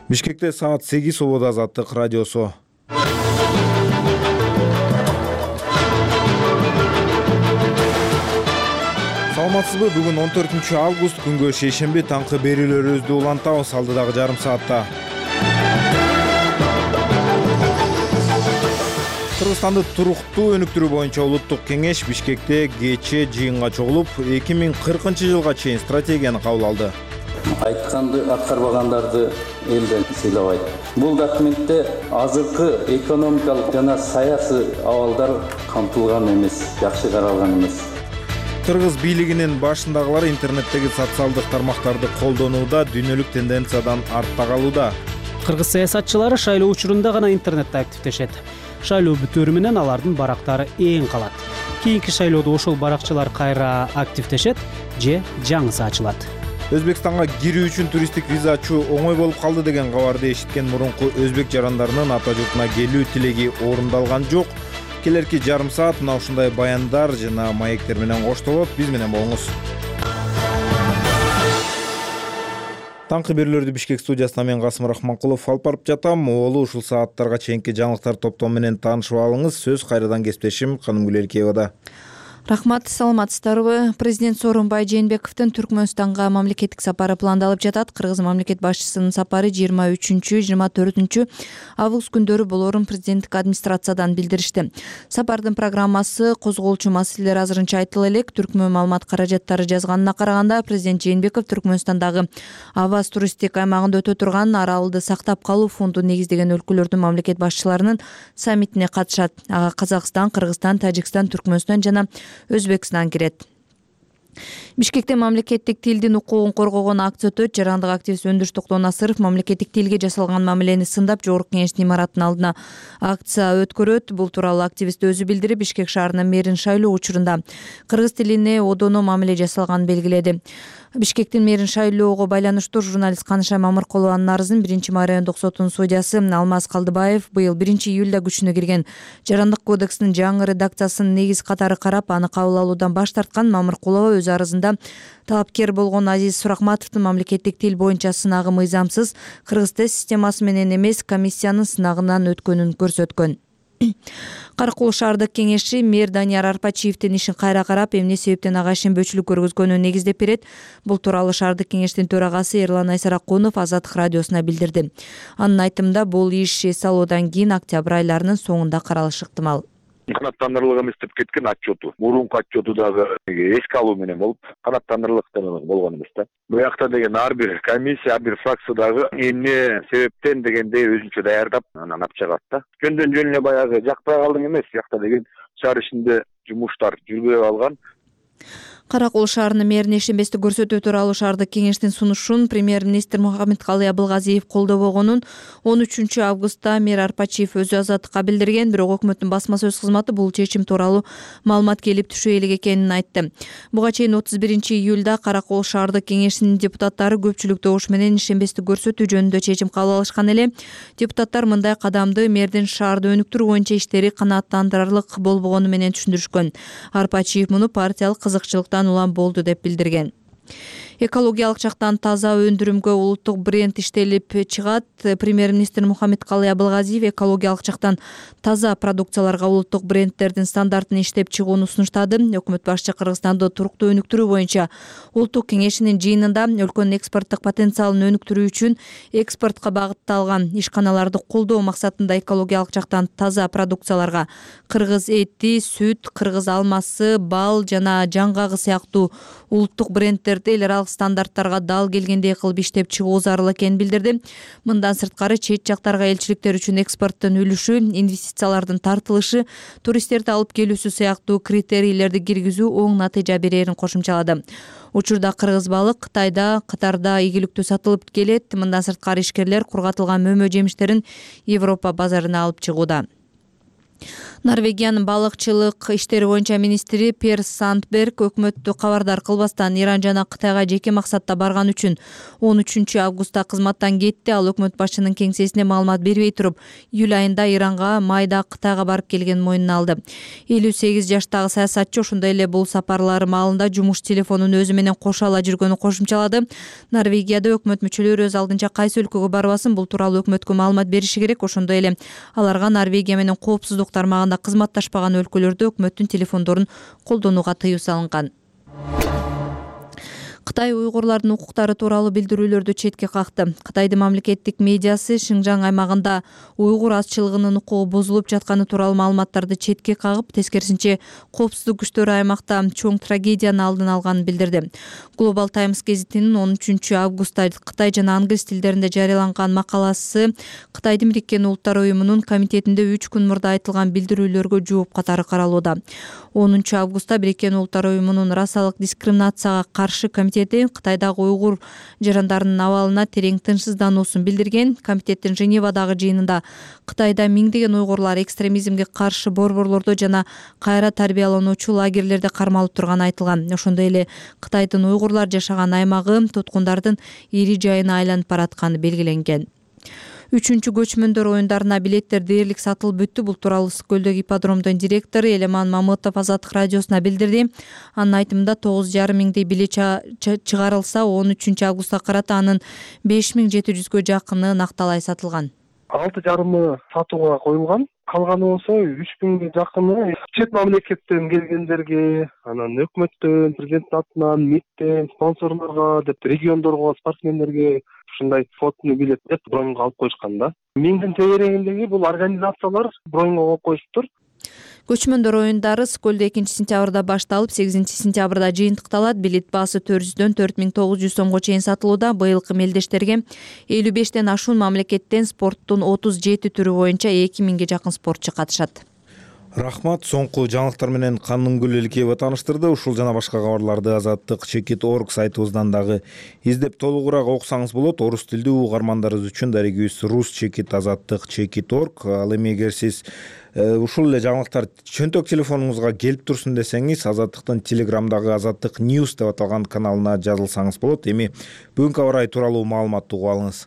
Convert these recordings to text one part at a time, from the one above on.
Бишкекте саат 8 убада Азаттык радиосу. Саламатсызбы? Бүгүн 14 август күнгө шейшемби таңкы берүүлөрүбүздү улантабыз алдыдагы жарым саатта. Кыргызстанды туруктуу өнүктүрүү боюнча улуттук кеңеш Бишкекте кечээ жыйынга чогулуп, 2040-жылга чейин стратегияны кабыл алды. Айтканды аткарбагандарды элден сыйлабайт. Бул документте азыркы экономикалык жана саясий абалдар камтылган эмес, жакшы каралган эмес. Кыргыз бийлигинин башындагылар интернеттеги социалдык тармактарды колдонууда дүйнөлүк тенденциядан артта калууда. Кыргыз саясатчылары шайлоо учурунда гана интернетте активдешет. Шайлоо бүтөөрү менен алардын барактары эң калат. Кийинки шайлоодо ошол баракчылар кайра активдешет же жаңысы ачылат. Өзбекстанга кирүү үчүн туристтик виза ачуу оңой болуп калды деген кабарды эшиткен мурунку өзбек жарандарынын ата журтуна келүү тилеги орундалган жок. Келерки жарым саат мына ушундай баяндар жана маектер менен коштолот. Биз менен болуңуз. Таңкы берүүлөрдү Бишкек студиясына мен Касым Рахманкулов алып барып жатам. Оолу ушул сааттарга чейинки жаңылыктар топтому менен таанышып алыңыз. Сөз кайрадан кесиптешим Канымгүл Элкеевада. Рахмат, саламатсыздарбы? Президент Сооронбай Жээнбековдун Түркмөнстанга мамлекеттик сапары пландалып жатат. Кыргыз мамлекет башчысынын сапары 23-24 август күндөрү болорун президенттик администрациядан билдиришти. Сапардын программасы козголчу маселелер азырынча айтыла элек. Түркмөн маалымат каражаттары жазганына караганда, президент Жээнбеков Түркмөнстандагы Аваз туристтик аймагында өтө турган аралды сактап калуу фондун негиздеген өлкөлөрдүн мамлекет башчыларынын саммитине катышат. Ага Казакстан, Кыргызстан, Тажикстан, Түркмөнстан жана Өзбекстан кирет. Бишкекте мамлекеттик тилдин укугун коргогон акция өтөт. Жарандык активист Өндүрүш Токтонасыров мамлекеттик тилге жасалган мамилени сындап, Жогорку Кеңештин имаратынын алдына акция өткөрөт. Бул тууралуу активист өзү билдирип, Бишкек шаарынын мэрин шайлоо учурунда кыргыз тилине одоно мамиле жасалганын белгиледи. Бишкектин мэрин шайлоого байланыштуу журналист Каныша Мамыркулованын арызын 1-май райондук сотунун судьясы Алмаз Калдыбаев быйыл 1-июлда күчүнө кирген Жарандык кодекстин жаңы редакциясын негиз катары карап, аны кабыл алуудан баш тарткан. Мамыркулова өз арызында талапкер болгон Азиз Суракматовдун мамлекеттик тил боюнча сынагы мыйзамсыз, кыргыз тест системасы менен эмес, комиссиянын сынагынан өткөнүн көрсөткөн. Каракул шаардык кеңешчи мэр Данияр Арпачиевдин ишин кайра карап, эмне себептен ага ишенбөөчүлүк көргөзгөнүн негиздеп берет. Бул тууралуу шаардык кеңештин төрагасы Эрлан Айсаракунов Азаттык радиосуна билдирди. Анын айтымында, бул иш эс алуудан кийин октябрь айларынын соңунда каралышы ыктымал. Канаттандырылган эместеп кеткен отчету, мурунку отчету дагы эске алуу менен болуп, канаттандырылык болгон эмес да. Бул жакта деген ар бир комиссия, ар бир фракция дагы эмне себептен дегенде өзүнчө даярдап, анан алып чыгат да. Жөндөн жөн эле баягы жакпай калдың эмес, жакта деген шаар ичинде жумуштар жүрбөй калган. Каракул шаарынын мэрин ишенбестик көрсөтүү тууралуу шаардык кеңештин сунушун премьер-министр Мухаммедкалый Абылгазиев колдобогонун 13 августта мэр Арпачиев өзү Азаттыкка билдирген. Бирок өкмөттүн басма сөз кызматы бул чечим тууралуу маалымат келип түшө элек экенин айтты. Буга чейин 31-июлда Каракул шаардык кеңешинин депутаттары көпчүлүк добуш менен ишенбестик көрсөтүү жөнүндө чечим кабыл алышкан эле. Депутаттар мындай кадамды мэрдин шаарды өнүктүрүү боюнча иштери канааттандырарлык болбогону менен түшүндүрүшкөн. Арпачиев муну партиялык кызыкчылыктан улам болду деп билдирген. Экологиялык жактан таза өндүрүмгө улуттук бренд иштелип чыгат. Премьер-министр Мухаммедкалый Абылгазиев экологиялык жактан таза продукцияларга улуттук брендтердин стандартын иштеп чыгууну сунуштады. Өкмөт башчы Кыргызстанды туруктуу өнүктүрүү боюнча улуттук кеңешинин жыйынында өлкөнүн экспорттук потенциалын өнүктүрүү үчүн экспортко багытталган ишканаларды колдоо максатында экологиялык жактан таза продукцияларга кыргыз эти, сүт, кыргыз алмасы, бал жана жаңгагы сыяктуу улуттук брендтерди эл аралык стандарттарга дал келгендей кылып иштеп чыгуу зарыл экенин билдирди. Мындан сырткары чет жактарга элчиликтер үчүн экспорттун үлүшү, инвестициялардын тартылышы, туристтерди алып келүүсү сыяктуу критерийлерди киргизүү оң натыйжа берерин кошумчалады. Учурда кыргыз балы Кытайда, Катарда ийгиликтүү сатылып келет. Мындан сырткары ишкерлер кургатылган мөмө жемиштерин Европа базарына алып чыгууда. Норвегиянын балыкчылык иштери боюнча министри Пер Сандберг өкмөттү кабардар кылбастан Иран жана Кытайга жеке максатта барган үчүн 13 августта кызматтан кетти. Ал өкмөт башчынын кеңсесине маалымат бербей туруп, июль айында Иранга, майда Кытайга барып келгенин мойнуна алды. 58 жаштагы саясатчы ошондой эле бул сапарлары маалында жумуш телефонун өзү менен кошо ала жүргөнү кошумчалады. Норвегияда өкмөт мүчөлөрү өз алдынча кайсы өлкөгө барбасын, бул тууралуу өкмөткө маалымат бериши керек. Ошондой эле аларга Норвегия менен коопсуздук тармагында кызматташпаган өлкөлөрдө өкмөттүн телефондорун колдонууга тыюу салынган. Кытай уйгурлардын укуктары тууралуу билдирүүлөрдү четке какты. Кытайдын мамлекеттик медиасы Шинжаң аймагында уйгур азчылыгынын укугу бузулуп жатканы тууралуу маалыматтарды четке кагып, тескерисинче коопсуздук күчтөрү аймакта чоң трагедиянын алдын алганын билдирди. Global Times гезитинин 13 августта Кытай жана англис тилдеринде жарыяланган макаласы Кытайдын Бириккен Улуттар уюмунун комитетинде 3 күн мурда айтылган билдирүүлөргө жооп катары каралууда. 10 августта Бириккен Улуттар уюмунун расалык дискриминацияга каршы комитети Кытайдагы уйгур жарандарынын абалына терең тынчсыздануусун билдирген. Комитеттин Женевадагы жыйынында Кытайда миңдеген уйгурлар экстремизмге каршы борборлордо жана кайра тарбиялануучу лагерлерде кармалып турганы айтылган. Ошондой эле Кытайдын уйгурлар жашаган аймагы туткундардын ири жайына айланып баратканы белгиленген. 3-чү көчмөндөр оюндарына билеттер дээрлик сатылып бүттү. Бул тууралуу Ысык көлдөгү ипподромдун директору Элеман Мамытов Азаттык радиосуна билдирди. Анын айтымында 9,5 миңдей билет чыгарылса, 13 августка карата анын 5700гө жакыны накталай сатылган. 6,5 сатууга коюлган. Калганы болсо 3000ге жакыны чет мамлекеттен келгендерге, анан өкмөттөн, президенттин атынан, МИДтен, спонсорлорго деп, региондорго, спортсмендерге ушундай фотону билет деп броньго алып коюшкан да. Миңдин тегерегиндеги бул организациялар броньго коюп коюшуптур. Көчмөндөр оюндары Скөлдө 2-сентябрда башталып, 8-сентябрда жыйынтыкталат. Билет баасы 400дөн 4900 сомго чейин сатылууда. Быйылкы мелдештерге 55ден ашуун мамлекеттен спорттун 37 түрү боюнча 2000ге жакын спортчу катышат. Рахмат. Соңку жаңылыктар менен Канынгүл Элкеева тааныштырды. Ушул жана башка кабарларды Азаттык.org сайтыбыздан дагы издеп толугураак окусаңыз болот. Орус тилдүү угармандарыбыз үчүн дарегибиз Rus.Azattyk.org. Ал эми эгер сиз ушул эле жаңылыктар чөнтөк телефонуңузга келип турсун десеңиз, Азаттыктын Телеграмдагы Азаттык News деп аталган каналына жазылсаңыз болот. Эми бүгүнкү аба ырайы тууралуу маалыматты угуп алыңыз.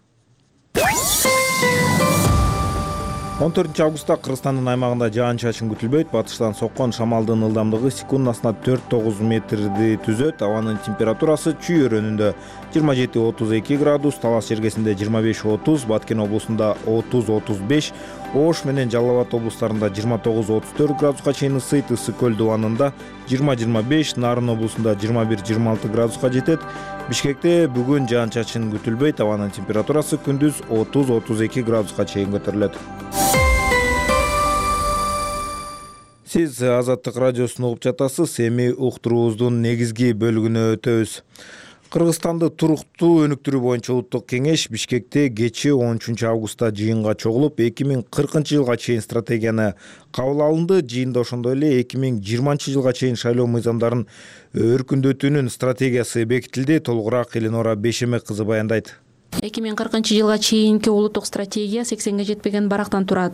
14 августта Кыргызстандын аймагында жаан-чачын күтүлбөйт. Батыштан соккон шамалдын ылдамдыгы секундасына 4-9 метрди түзөт. Абанын температурасы Чүй өрөөнүндө 27-32 градус, Талас жергесинде 25-30, Баткен облусунда 30-35, Ош менен Жалал Абад облустарында 29-34 градуска чейин ысыйт. Ысык көл дубанында 20-25, Нарын облусунда 21-26 градуска жетет. Бишкекте бүгүн жаан-чачын күтүлбөйт. Абанын температурасы күндүз 30-32 градуска чейин көтөрүлөт. Сиз Азаттык радиосун угуп жатасыз. Эми уктуруубуздун негизги бөлүгүнө өтөбүз. Кыргызстанды туруктуу өнүктүрүү боюнча улуттук кеңеш Бишкекте кечээ 13 августта жыйынга чогулуп, 2040-жылга чейин стратегияны кабыл алынды. Жыйында ошондой эле 2020-жылга чейин шайлоо мыйзамдарын өркүндөтүүнүн стратегиясы бекитилди. Толугураак Эленора Бешемек кызы баяндайт. 2040-жылга чейинки улуттук стратегия 80ге жетпеген барактан турат.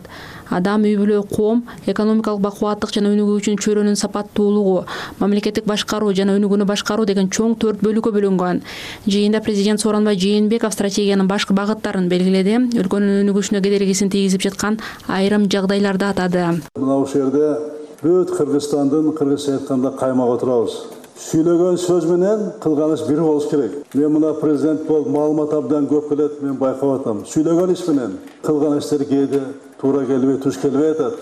Адам, үй-бүлө, коом, экономикалык бакубаттык жана өнүгүүчү чөйрөнүн сапаттуулугу, мамлекеттик башкаруу жана өнүгүүнү башкаруу деген чоң 4 бөлүккө бөлүнгөн. Жыйында президент Сооронбай Жээнбеков стратегиянын башкы багыттарын белгиледи. Өлкөнүн өнүгүшүнө кедергисин тийгизип жаткан айрым жагдайларды атады. Мына ушул жерде бүт Кыргызстандын кыргызча айтканда каймак отурабыз. Сүйлөгөн сөз менен кылган иш бир болуш керек. Мен мына президент болуп маалымат абдан көп келет, мен байкап атам. Сүйлөгөн иш менен кылган иштер кээде туура келбей, туш келбей атат.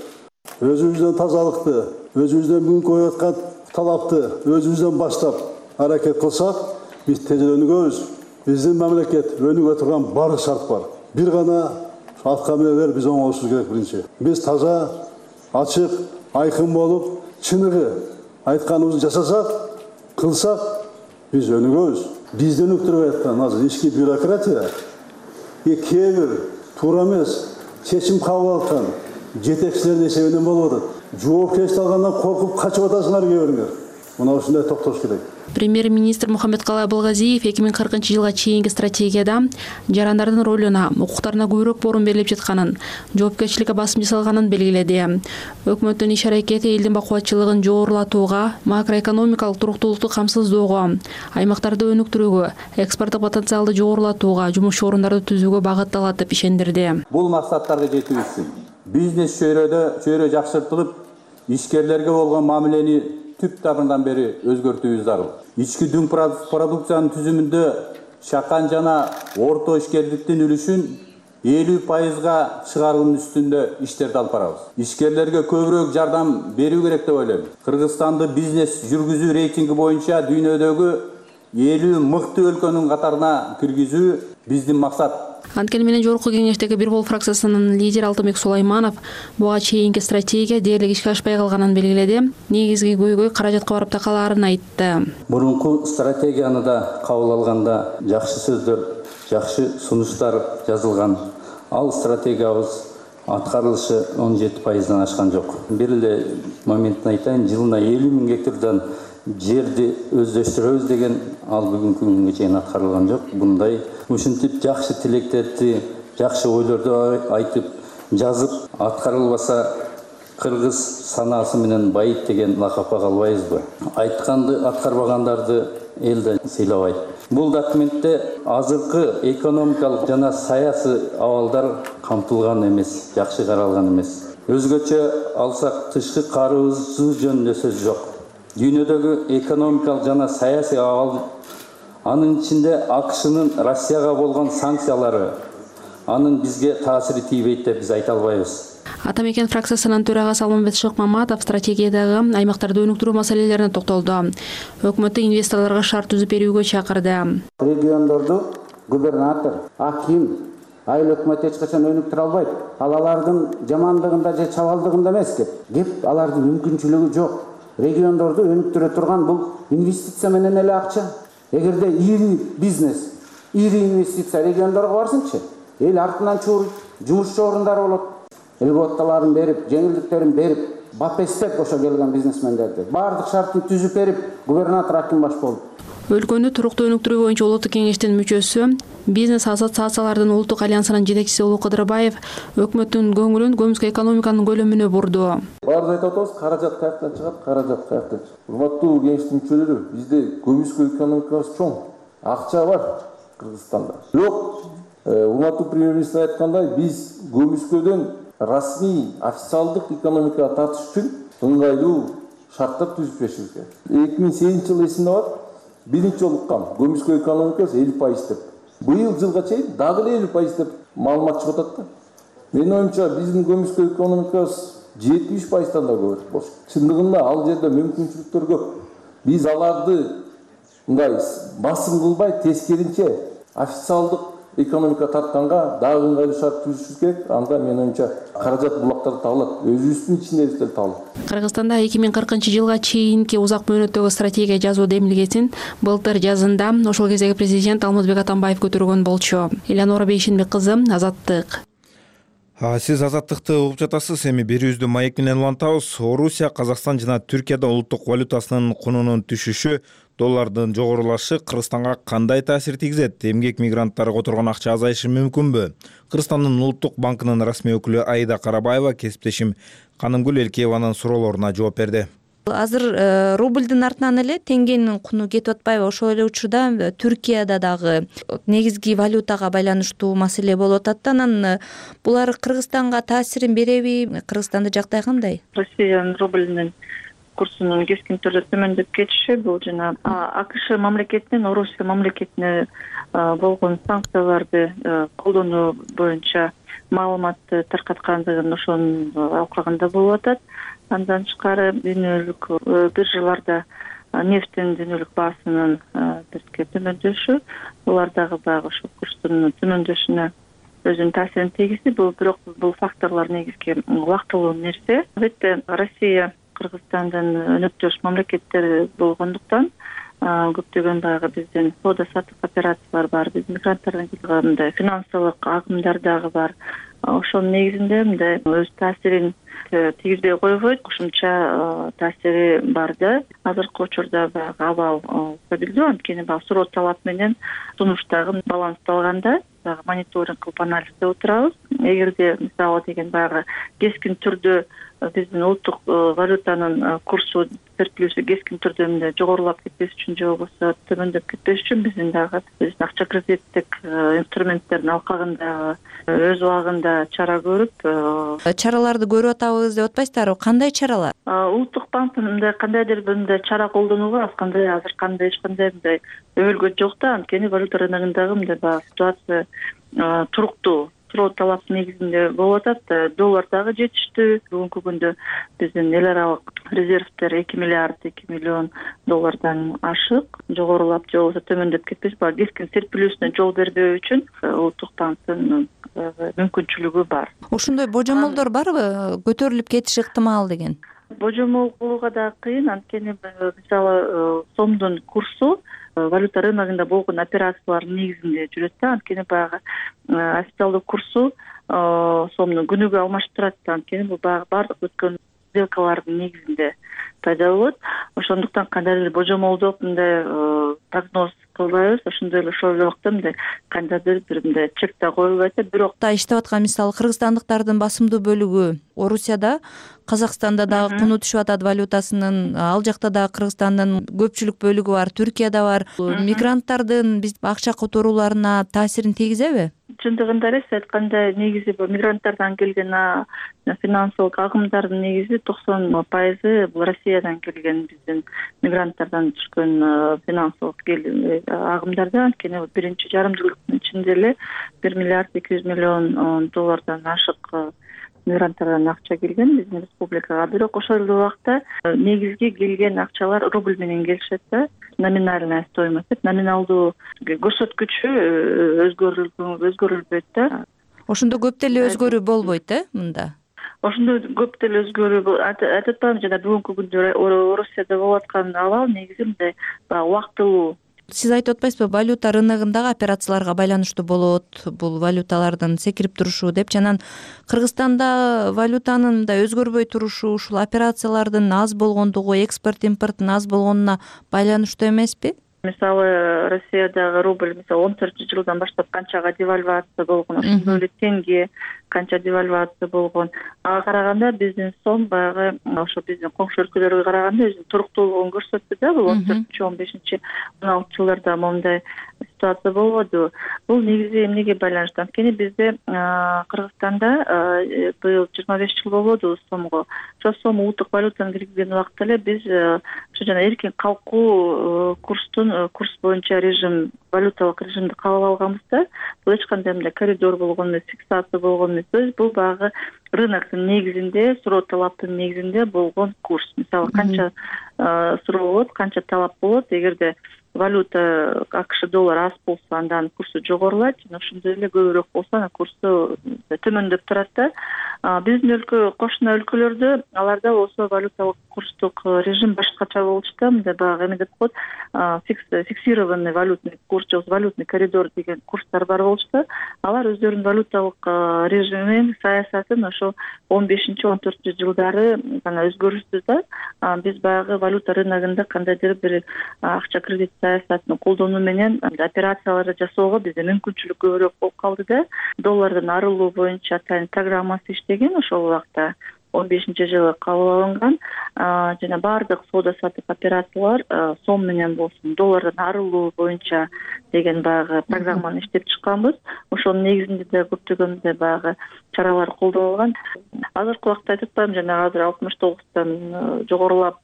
Өзүбүздөн тазалыкты, өзүбүздөн бүгүнкү коюп аткан талапты өзүбүздөн баштап аракет кылсак, биз тезирээк өнүгөбүз. Биздин мамлекет өнүгө турган бардык шарт бар. Бир гана атка менелер биз оңолушубуз керек биринчи. Биз таза, ачык, айкын болуп, чыныгы айтканыбызды жасасак, кылсак, биз өнүгөбүз. Бизди өнүктүрүп аткан азыр ички бюрократия, кээ бир туура эмес чечим кабыл алган жетекчилердин эсебинен болуп атат. Жоопкерчилик алгандан коркуп качып атасыңар кээ бириңер. мына ушундай токтош керек. Премьер-министр Мухаммедкалый Абылгазиев 2040-жылга чейинки стратегияда жарандардын ролуна, укуктарына көбүрөөк борун берилип жатканын, жоопкерчиликке басым жасалганын белгиледи. Өкмөттүн иш-аракети элдин бакубатчылыгын жогорулатууга, макроэкономикалык туруктуулукту камсыздоого, аймактарды өнүктүрүүгө, экспорттук потенциалды жогорулатууга, жумуш орундарды түзүүгө багытталат деп ишендирди. Бул максаттарга жетүү үчүн бизнес чөйрө жакшыртылып, ишкерлерге болгон мамилени түп табынан бери өзгөртүүбүз зарыл. Ички дүң продукциянын түзүмүндө чакан жана орто ишкерликтин үлүшүн 50%га чыгаруунун үстүндө иштерди алып барабыз. Ишкерлерге көбүрөөк жардам берүү керек деп ойлойм. Кыргызстанды бизнес жүргүзүү рейтинги боюнча дүйнөдөгү 50 мыкты өлкөнүн катарына киргизүү биздин максат. Анткени менен жогорку кеңештеги Бир Бол фракциясынын лидери Алтынбек Сулайманов буга чейинки стратегия дээрлик ишке ашпай калганын белгиледи. Негизги көйгөй каражатка барып такалаарын айтты. Мурунку стратегияны да кабыл алганда жакшы сөздөр, жакшы сунуштар жазылган. Ал стратегиябыз аткарылышы 17%дан ашкан жок. Бир эле моментин айтайын, жылына 50 000 гектардан жерди өздөштүрөбүз деген ал бүгүнкү күнгө чейин аткарылган жок. Мындай ушинтип жакшы тилектерди, жакшы ойлорду айтып, жазып аткарылбаса кыргыз санаасы менен байыт деген лакапка калбайбызбы? Айтканды аткарбагандарды элде сыйлабайт. Бул документте азыркы экономикалык жана саясий абалдар камтылган эмес, жакшы каралган эмес. Өзгөчө алсак тышкы карызы жөнүндө сөз жок. Дүйнөдөгү экономикалык жана саясий абал, анын ичинде АКШнын Россияга болгон санкциялары, анын бизге таасири тийбейт деп биз айта албайбыз. Атамекен фракциясынын төрагасы Алмамбет Шыкмаматов стратегиядагы аймактарды өнүктүрүү маселелерине токтолду. Өкмөттү инвесторлорго шарт түзүп берүүгө чакырды. Региондорду губернатор, аким, айыл өкмөт эч качан өнүктүрө албайт. Алардын жамандыгында же чабалдыгында эмес кеп, алардын мүмкүнчүлүгү жок. Региондорду өнүктүрө турган бул инвестиция менен эле акча. Эгерде ири бизнес, ири инвестиция региондорго барсынчы, эл артынан чууруйт, жумуш орундары болот. Льготаларын берип, жеңилдиктерин берип, бапестеп ошо келген бизнесмендерди баардык шартын түзүп берип, губернатор аким баш болду. Өлкөнү туруктуу өнүктүрүү боюнча улуттук кеңештин мүчөсү, бизнес ассоциациялардын улуттук альянсынын жетекчиси Улуу Кыдырбаев өкмөттүн көңүлүн көмүскө экономиканын көлөмүнө бурду. Баарды айтып атабыз, каражат каяктан чыгат, каражат каяктан чыгат. Урматтуу кеңештин мүчөлөрү, бизде көмүскө экономикабыз чоң, акча бар Кыргызстанда. Бирок, урматтуу премьер-министр айткандай, биз көмүскөдөн расмий, официалдык экономикага тартыш үчүн ыңгайлуу шарттар түзүп беришибиз керек. 2008 жыл эсимде бар. Биринчи жолу уккам, көмүскө экономикасы 50% деп. Быйыл жылга чейин дагы 50% деп маалымат чыгып атат да. Менин оюмча биздин көмүскө экономикасы 73%дан да көбүрөөк болуш. Чындыгында ал жерде мүмкүнчүлүктөр көп. Биз аларды мындай басым кылбай, тескеринче официалдык экономика тартканга дагы ыңгайлуу шарт түзүшүбүз керек. Анда менин оюмча каражат булактары табылат, өзүбүздүн ичинде табылат. Кыргызстанда 2040-жылга чейинки узак мөөнөттөгү стратегия жазуу демилгесин былтыр жазында ошол кездеги президент Алмазбек Атамбаев көтөргөн болчу. Элеонора Бейшенбек кызы, Азаттык. Сиз Азаттыкты угуп жатасыз. Эми берүүбүздү маек менен улантабыз. Орусия, Казакстан жана Түркияда улуттук валютасынын кунунун түшүшү, доллардын жогорулашы Кыргызстанга кандай таасир тийгизет? Эмгек мигранттары которгон акча азайышы мүмкүнбү? Кыргызстандын улуттук банкынын расмий өкүлү Аида Карабаева кесиптешим Канымгүл Элкееванын суроолоруна жооп берди. Азыр рублдун артынан эле теңгенин куну кетип атпайбы? Ошол эле учурда Түркияда дагы негизги валютага байланыштуу маселе болуп атат. Анан булар Кыргызстанга таасирин береби? Кыргызстанда жагдай кандай? Россиянын рубльнин курсунун кескин түрдө төмөндөп кетиши бул жана АКШ мамлекетинин Орусия мамлекетине болгон санкцияларды колдонуу боюнча маалыматты таркаткандыгын ошонун алкагында болуп атат. Андан тышкары дүйнөлүк биржаларда нефттин дүйнөлүк баасынын бизге төмөндөшү, булар дагы баягы ошол курстун төмөндөшүнө өзүнүн таасирин тийгизди. Бирок бул факторлор негизги убактылуу нерсе. Албетте Россия Кыргызстандын өнөктөш мамлекеттери болгондуктан көптөгөн баягы биздин соода саттык операциялар бар, биз мигранттардын келгенде финансылык агымдар дагы бар. Ошонун негизинде мындай өз таасирин тийгизбей койбойт, кошумча таасири бар да. Азыркы учурда баягы абал стабилдүү, анткени баягы суроо талап менен сунуш дагы балансталганда дагы мониторинг кылып анализдеп отурабыз. Эгерде мисалы деген баягы кескин түрдө биздин улуттук валютанын курсу серплюсу кескин түрдө мындай жогорулап кетпеш үчүн же болбосо төмөндөп кетпеш үчүн биздин акча кредиттик инструменттердин алкагында өз убагында чара көрүп чараларды көрүп атабыз деп атпайсыздарбы? Кандай чаралар? Улуттук банк мындай кандайдыр бир мындай чара колдонууга эч кандай мындай өбөлгө жок да, анткени валюта рыногундагы мындай баягы ситуация туруктуу. Суроо талаптын негизинде болуп атат. Доллар дагы жетиштүү. Бүгүнкү күндө биздин эл аралык резервдер 2 миллиард 2 миллион доллардан ашык, жогорулап же болбосо төмөндөп кетпеш. Баягы кескин серпилүүсүнө жол бербөө үчүн улуттук банктын мүмкүнчүлүгү бар. Ошондой божомолдор барбы? Көтөрүлүп кетиши ыктымал деген. Божомол кылууга да кыйын, анткени мисалы сомдун курсу валюта рыногунда болгон операциялардын негизинде жүрөт да, анткени баягы официалдуу курсу сомду күнүгө алмаштырат да, анткени бул баягы бардык өткөн сделкалардын негизинде пайда болот. Ошондуктан кандайдыр божомолдоп мындай прогноз кылбайбыз. Ошондой эле ошол убакта мындай кандайдыр бир мындай чек да коюлбайт. Бирок иштеп аткан мисалы кыргызстандыктардын басымдуу бөлүгү Орусияда, Казакстанда дагы куну түшүп атат валютасынын, ал жакта дагы Кыргызстандын көпчүлүк бөлүгү бар, Түркияда бар. Мигранттардын биз акча которууларына таасирин тийгизеби? Чындыгында эле сиз айткандай негизи бул мигранттардан келген финансылык агымдардын негизи 90% бул Россиядан келген биздин мигранттардан түшкөн финансылык агымдарда, анткени биринчи жарым жылдыктын ичинде эле 1 миллиард 200 миллион доллардан ашык мигранттардан акча келген биздин республикага. Бирок ошол эле убакта негизги келген акчалар рубль менен келишет да. Номинальная стоимость, номиналдуу көрсөткүчү өзгөрүлбөйт да. Ошондо көп деле өзгөрүү болбойт мында. Ошондой көп деле өзгөрүү айтып атпаймынбы, жана бүгүнкү күндө Орусияда болуп аткан абал негизи мындай убактылуу. Сиз айтып атпайсызбы, валюта рыногундагы операцияларга байланыштуу болот бул валюталардын секирип турушу деп, жана Кыргызстанда валютанын мындай өзгөрбөй турушу ушул операциялардын аз болгондугу, экспорт импорттун аз болгонуна байланыштуу эмеспи? Мисалы Россиядагы рубль 14-жылдан баштап канчага девальвация болгон, ошондой эле тенге канча девальвация болгон. Ага караганда биздин сом баягы ошо биздин коңшу өлкөлөргө караганда өзүнүн туруктуулугун көрсөттү да. Бул 14-15 16 жылдарда момундай ситуация болбоду. Бул негизи эмнеге байланыштуу? Анткени бизде Кыргызстанда быйыл 25 жыл болбоду сомго. Ошо сом улуттук валютаны киргизген убакта эле биз ошо жана эркин калкуу курс боюнча режим, валюталык режимди кабыл алганбыз да. Бул эч кандай мындай коридор болгон эмес, фиксация болгон эмес. Бул баягы рыноктун негизинде, суроо талаптын негизинде болгон курс. Мисалы канча суроо болот, канча талап болот, эгерде валюта АКШ доллар аз болсо андан курсу жогорулайт, жана ошондой эле көбүрөөк болсо анан курсу төмөндөп турат да. Биздин өлкө, кошуна өлкөлөрдө аларда болсо валюталык курстук режим башкача болчу да, мындай баягы эме деп коет, фиксированный валютный курс же валютный коридор деген курстар бар болчу да. Алар өздөрүнүн валюталык режимин, саясатын ошо 15-14 жылдары гана өзгөртү да. Биз баягы валюта рыногунда кандайдыр бир акча кредит саясатын колдонуу менен операцияларды жасоого бизде мүмкүнчүлүк көбүрөөк болуп калды да. Доллардан арылуу боюнча атайын программасы иштеген ошол убакта 15-жылы кабыл алынган, жана бардык соода саттык операциялар сом менен болсун, доллардан арылуу боюнча деген баягы программаны иштеп чыкканбыз. Ошонун негизинде да көптөгөн баягы чаралар колдонулган. Азыркы убакта айтып атпаймынбы, жана азыр 69-тан жогорулап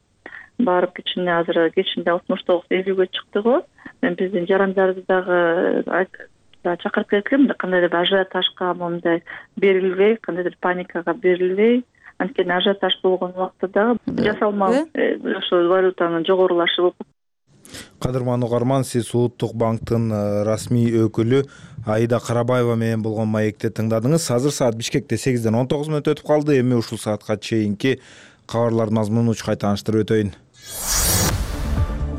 барып кичине азыр кечинде 69-50-ге чыкты го. Мен биздин жарандарды дагы чакырып кеткем, кандайдыр ажиотажга мындай берилбей, кандайдыр паникага берилбей, анткени ажиотаж болгон убакта дагы жасалма ошо валютанын жогорулашы болуп. Кадырман угарман, сиз Улуттук банктын расмий өкүлү Аида Карабаева менен болгон маекти тыңдадыңыз. Азыр саат Бишкекте 8-ден 19 мүнөт өтүп калды. Эми ушул саатка чейинки кабарлардын мазмунун кайта тааныштырып өтөйүн.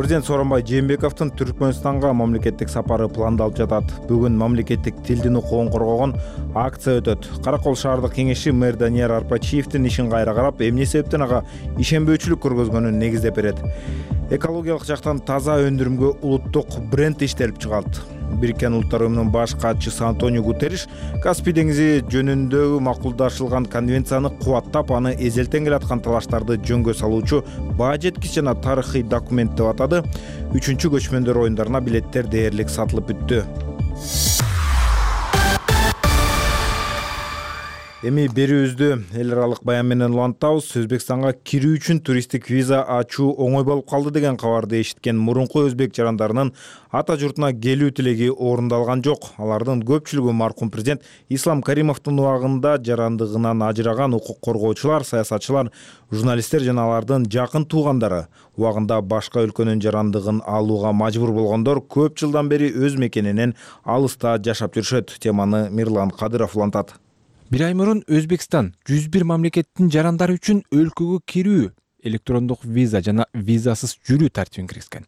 Президент Сооронбай Жээнбековдун Түркмөнстанга мамлекеттик сапары пландалып жатат. Бүгүн мамлекеттик тилдин укугун коргогон акция өтөт. Каракол шаардык кеңеши мэр Данияр Арпачиевдин ишин кайра карап, эмне себептен ага ишенбөөчүлүк көргөзгөнүн негиздеп берет. Экологиялык жактан таза өндүрүмгө улуттук бренд иштелип чыгат. Бириккен Улуттар Уюмунун баш катчысы Антонио Гутерриш Каспий деңизи жөнүндө макулдашылган конвенцияны кубаттап, аны эзелтен келаткан талаштарды жөнгө салуучу баа жеткич жана тарыхый документ деп атады. 3-чү көчмөндөр оюндарына билеттер дээрлик сатылып бүттү. Эми берүүбүздү эл аралык баян менен улантабыз. Өзбекстанга кирүү үчүн туристтик виза ачуу оңой болуп калды деген кабарды эшиткен мурунку өзбек жарандарынын ата журтуна келүү тилеги орундалган жок. Алардын көпчүлүгү маркум президент Ислам Каримовдун убагында жарандыгынан ажыраган укук коргоочулар, саясатчылар, журналисттер жана алардын жакын туугандары. Убагында башка өлкөнүн жарандыгын алууга мажбур болгондор көп жылдан бери өз мекенинен алыста жашап жүрүшөт. Теманы Мирлан Кадыров улантат. Бир ай мурун Өзбекстан 101 мамлекеттин жарандары үчүн өлкөгө кирүү, электрондук виза жана визасыз жүрүү тартибин киргизген.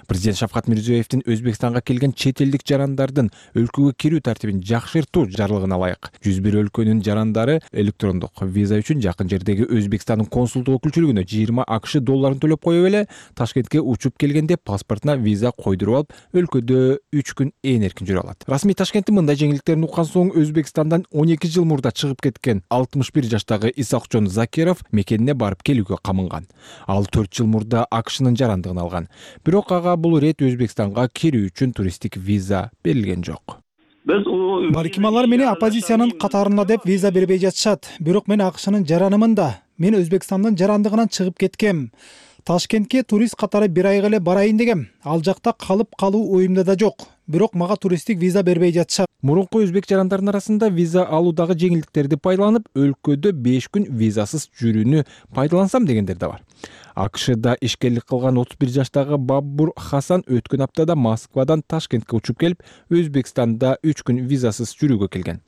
Президент Шавкат Мирзиёевдин Өзбекстанга келген чет элдик жарандардын өлкөгө кирүү тартибин жакшыртуу жарлыгына ылайык 101 өлкөнүн жарандары электрондук виза үчүн жакын жердеги Өзбекстандын консулдук өкүлчүлүгүнө 20 АКШ долларын төлөп коюп эле Ташкентке учуп келгенде паспортуна виза койдуруп алып, өлкөдө 3 күн эркин жүрө алат. Расмий Ташкенттин мындай жеңилдиктерин уккан соң Өзбекстандан 12 жыл мурда чыгып кеткен 61 жаштагы Исакжон Закиров мекенине барып келүүгө камынган. Ал 4 жыл мурда АКШнын жарандыгын алган. Бирок ага бул ирет Өзбекстанга кирүү үчүн туристтик виза берилген жок. Балким алар мени оппозициянын катарында деп виза бербей жатышат. Бирок мен АКШнын жаранымын да. Мен Өзбекстандын жарандыгынан чыгып кеткем. Ташкентке турист катары бир айга эле барайын дегем. Ал жакта калып калуу оюмда да жок. Бирок мага туристтик виза бербей жатышат. Мурунку өзбек жарандарынын арасында виза алуудагы жеңилдиктерди пайдаланып, өлкөдө 5 күн визасыз жүрүүнү пайдалансам дегендер да бар. АКШда ишкерлик кылган 31 жаштагы Бабур Хасан өткөн аптада Москвадан Ташкентке учуп келип, Өзбекстанда 3 күн визасыз жүрүүгө келген.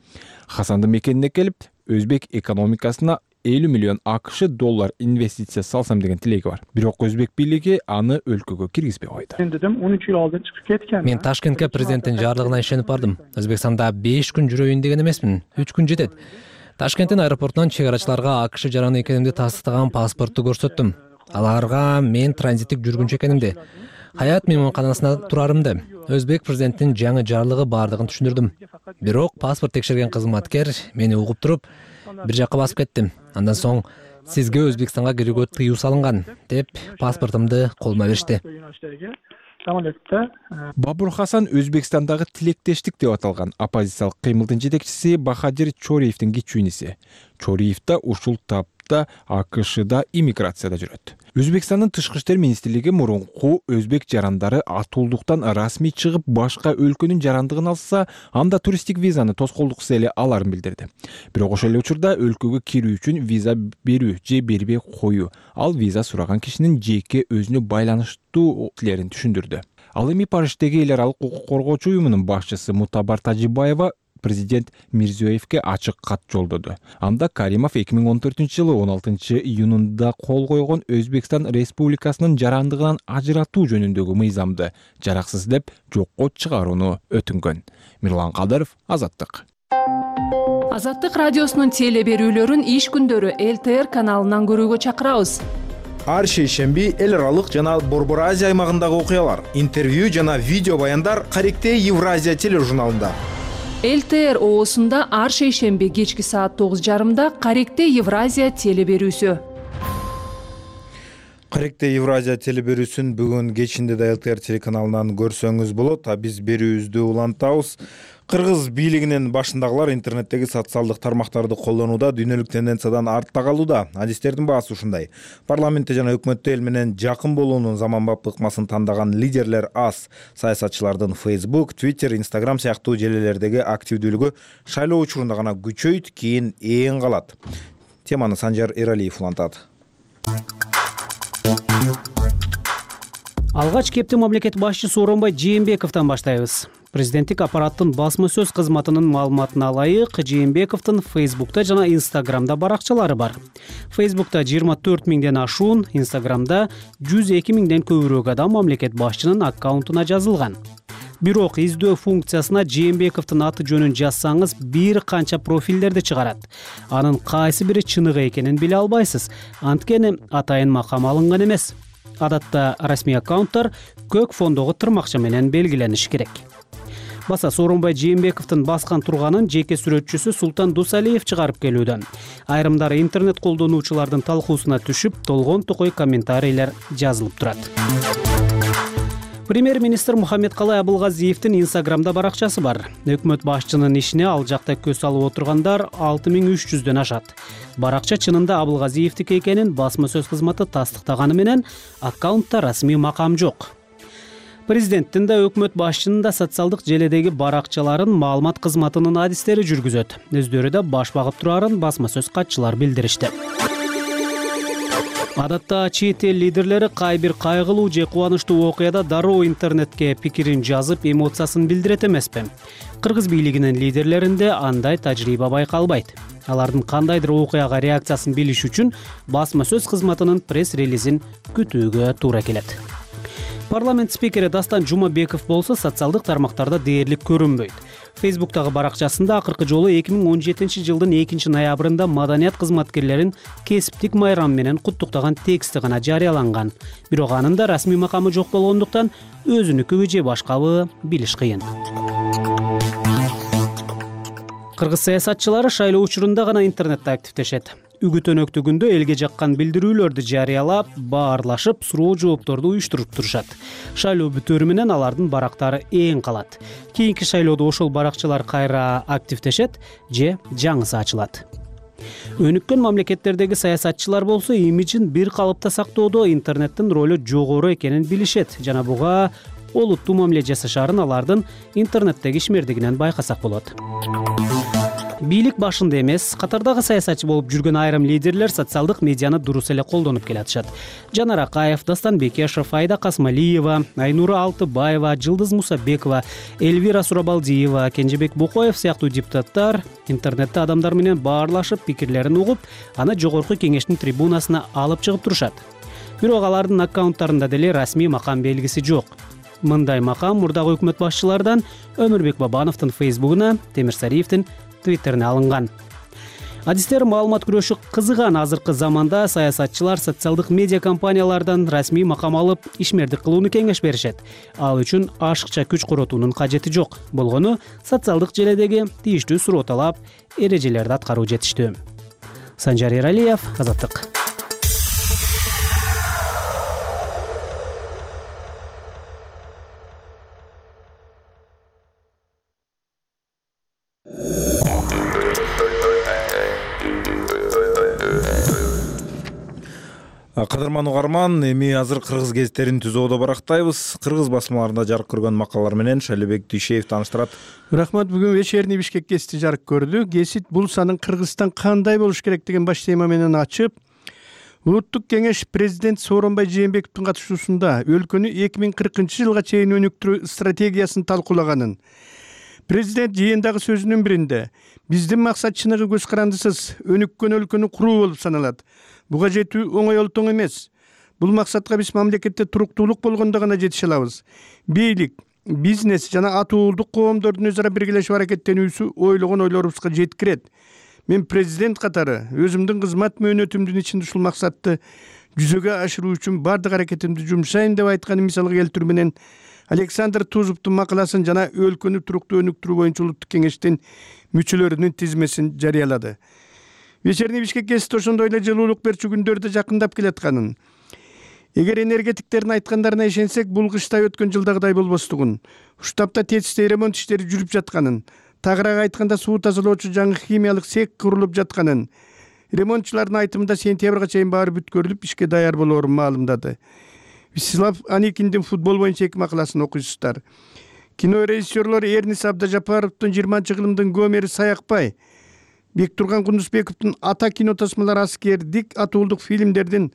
Хасандын мекенине келип, өзбек экономикасына 50 миллион АКШ доллар инвестиция салсам деген тилеги бар. Бирок өзбек бийлиги аны өлкөгө киргизбей койду. Мен Ташкентке президенттин жарлыгына ишенип бардым. Өзбекстанда 5 күн жүрөйүн деген эмесмин. 3 күн жетет. Ташкенттин аэропортунан чек арачыларга АКШ жараны экенимди тастыктаган паспортту көрсөттүм. Аларга мен транзиттик жүргүнчү экенимди, Хаят мейманканасында турарымды, өзбек президенттин жаңы жарлыгы бардыгын түшүндүрдүм. Бирок паспорт текшерген кызматкер мени угуп туруп, бир жакка басып кеттим. Андан соң сизге Өзбекстанга кирүүгө тыюу салынган деп паспортумду колума беришти. Бабур Хасан Өзбекстандагы тилектештик деп аталган оппозициялык кыймылдын жетекчиси Бахадир Чориевдин кичүүниси. Чориев да ушул тапта АКШда иммиграцияда жүрөт. Өзбекстандын тышкы иштер министрлиги мурунку өзбек жарандары атуулдуктан расмий чыгып башка өлкөнүн жарандыгын алса, анда туристтик визаны тоскоолдуксуз эле аларын билдирди. Бирок ошол эле учурда өлкөгө кирүү үчүн виза берүү же бербей коюу, ал виза сураган кишинин жеке өзүнө байланыштуу тилерин түшүндүрдү. Ал эми Париждеги эл аралык укук коргоочу уюмунун башчысы Мутабар Тажибаева президент Мирзиёевке ачык кат жолдоду. Анда Каримов 2014-жылы 16-июнунда кол койгон Өзбекстан Республикасынын жарандыгынан ажыратуу жөнүндөгү мыйзамды жараксыз деп жокко чыгарууну өтүнгөн. Мирлан Кадыров, Азаттык. Азаттык радиосунун теле берүүлөрүн иш күндөрү ЛТР каналынан көрүүгө чакырабыз. Ар шейшемби эл аралык жана Борбор Азия аймагындагы окуялар, интервью жана видео баяндар Каректе Евразия тележурналында. ЛТР оосунда ар шейшемби кечки саат 9:30 Каректе Евразия теле берүүсү. Каректе Евразия теле берүүсүн бүгүн кечинде да ЛТР телеканалынан көрсөңүз болот. Биз берүүбүздү улантабыз. Кыргыз бийлигинин башындагылар интернеттеги социалдык тармактарды колдонууда дүйнөлүк тенденциядан артта калууда. Адистердин баасы ушундай. Парламентте жана өкмөттө эл менен жакын болуунун заманбап ыкмасын тандаган лидерлер аз. Саясатчылардын Facebook, Twitter, Instagram сыяктуу желелердеги активдүүлүгү шайлоо учурунда гана күчөйт, кийин ээн калат. Теманы Санжар Эралиев улантат. Алгач кепти мамлекет башчысы Сооронбай Жээнбековдон баштайбыз. Президенттик аппараттын басма сөз кызматынын маалыматына ылайык, Жээнбековдун Facebook'та жана Instagram'да баракчалары бар. Facebook'та 24 миңден ашуун, Instagram'да 102 миңден көбүрөөк адам мамлекет башчынын аккаунтуна жазылган. Бирок издөө функциясына Жээнбековдун аты жөнүн жазсаңыз бир канча профилдерди чыгарат. Анын кайсы бири чыныгы экенин биле албайсыз, анткени атайын макам алынган эмес. Адатта расмий аккаунттар көк фондогу тырмакча менен белгилениши керек. Баса Сооронбай Жээнбековдун баскан турганын жеке сүрөтчүсү Султан Дусалиев чыгарып келүүдө. Айрымдары интернет колдонуучулардын талкуусуна түшүп, толгон токой комментарийлер жазылып турат. Премьер-министр Мухаммедкалай Абылгазиевдин Instagram'да баракчасы бар. Өкмөт башчынын ишине ал жакта көз салып отургандар 6300дөн ашат. Баракча чынында Абылгазиевдики экенин басма сөз кызматы тастыктаганы менен аккаунтта расмий макам жок. Президенттин да өкмөт башчынын да социалдык желедеги баракчаларын маалымат кызматынын адистери жүргүзөт. Өздөрү да баш багып турарын басма сөз катчылар билдиришти. Адатта чет эл лидерлери кай бир кайгылуу же кубанычтуу окуяда дароо интернетке пикирин жазып, эмоциясын билдирет эмеспи? Кыргыз бийлигинин лидерлеринде андай тажрыйба байкалбайт. Алардын кандайдыр окуяга реакциясын билиш үчүн басма сөз кызматынын пресс-релизин күтүүгө туура келет. Парламент спикери Дастан Жумабеков болсо социалдык тармактарда дээрлик көрүнбөйт. Facebook'тагы баракчасында акыркы жолу 2017 жылдын 2-ноябрында маданият кызматкерлерин кесиптик майрам менен куттуктаган тексти гана жарыяланган. Бирок анын да расмий макамы жок болгондуктан өзүнүкүбү же башкабы билиш кыйын. Кыргыз саясатчылары шайлоо учурунда гана интернетте активдешет. Үгүт өнөктүгүндө элге жаккан билдирүүлөрдү жарыялап, баарлашып, суроо жоопторду уюштуруп турушат. Шайлоо бүтөөрү менен алардын барактары эң калат. Кийинки шайлоодо ошол баракчалар кайра активдешет же жаңысы ачылат. Өнүккөн мамлекеттердеги саясатчылар болсо имиджин бир калыпта сактоодо интернеттин ролу жогору экенин билишет жана буга олуттуу мамиле жасашаарын алардын интернеттеги ишмердигинен байкасак болот. Бийлик башында эмес, катардагы саясатчы болуп жүргөн айрым лидерлер социалдык медианы дурус эле колдонуп келатышат. Жанар Акаев, Дастан Бекешев, Айда Касмалиева, Айнура Алтыбаева, Жылдыз Мусабекова, Эльвира Сурабалдиева, Кенжебек Бокоев сыяктуу депутаттар интернетте адамдар менен баарлашып, пикирлерин угуп, аны жогорку кеңештин трибунасына алып чыгып турушат. Бирок алардын аккаунттарында деле расмий макам белгиси жок. Мындай макам мурдагы өкмөт башчылардан Өмүрбек Бабановдун Facebook'уна, Темирсариевдин Twitter'ine алынган. Адистер маалымат күрөшү кызыган азыркы заманда саясатчылар социалдык медиа компаниялардан расмий макам алып, ишмердик кылууну кеңеш беришет. Ал үчүн ашыкча күч коротуунун кажети жок. Болгону социалдык желедеги тийиштүү суроо талап, эрежелерди аткаруу жетиштүү. Санжар Эралиев, Азаттык. Кадырман угарман, эми азыр кыргыз гезиттерин түзүүдө барактайбыз. Кыргыз басмаларында жарык көргөн макалалар менен Шайлообек Дүйшеев тааныштырат. Рахмат, бүгүн вечерний Бишкек гезити жарык көрдү. Гезит бул санын Кыргызстан кандай болуш керек деген баш тема менен ачып, Улуттук кеңеш президент Сооронбай Жээнбековдун катышуусунда өлкөнү 2040 жылга чейин өнүктүрүү стратегиясын талкуулаганын, президент жыйындагы сөзүнүн биринде биздин максат чыныгы көз карандысыз өнүккөн өлкөнү куруу болуп саналат. Буга жетүү оңой олтоң эмес. Бул максатка биз мамлекетте туруктуулук болгондо гана жетише алабыз. Бийлик, бизнес жана атуулдук коомдордун өз ара биргелешип аракеттенүүсү ойлогон ойлорубузга жеткирет. Мен президент катары өзүмдүн кызмат мөөнөтүмдүн ичинде ушул максатты жүзөгө ашыруу үчүн бардык аракетимди жумшайм деп айтканын мисалга келтирүү менен Александр Тузовдун макаласын жана өлкөнү туруктуу өнүктүрүү боюнча улуттук кеңештин мүчөлөрүнүн тизмесин жарыялады. Вечерний Бишкек гезити ошондой эле жылуулук берчү күндөрдө жакындап келатканын, эгер энергетиктердин айткандарына ишенсек, бул кыштай өткөн жылдагыдай болбостугун, уштапта тетиштей ремонт иштери жүрүп жатканын, тагыраак айтканда суу тазалоочу жаңы химиялык цех курулуп жатканын, ремонтчулардын айтымында сентябрга чейин баары бүткөрүлүп ишке даяр болоорун маалымдады. Вячеслав Аникиндин футбол боюнча 2 макаласын окуйсуздар. Кино режиссерлор Эрнис Абдажапаровдун 20-кылымдын Гомери Саякбай, Бектурган Кундузбековдун Ата кино тасмалар аскердик атуулдук фильмдердин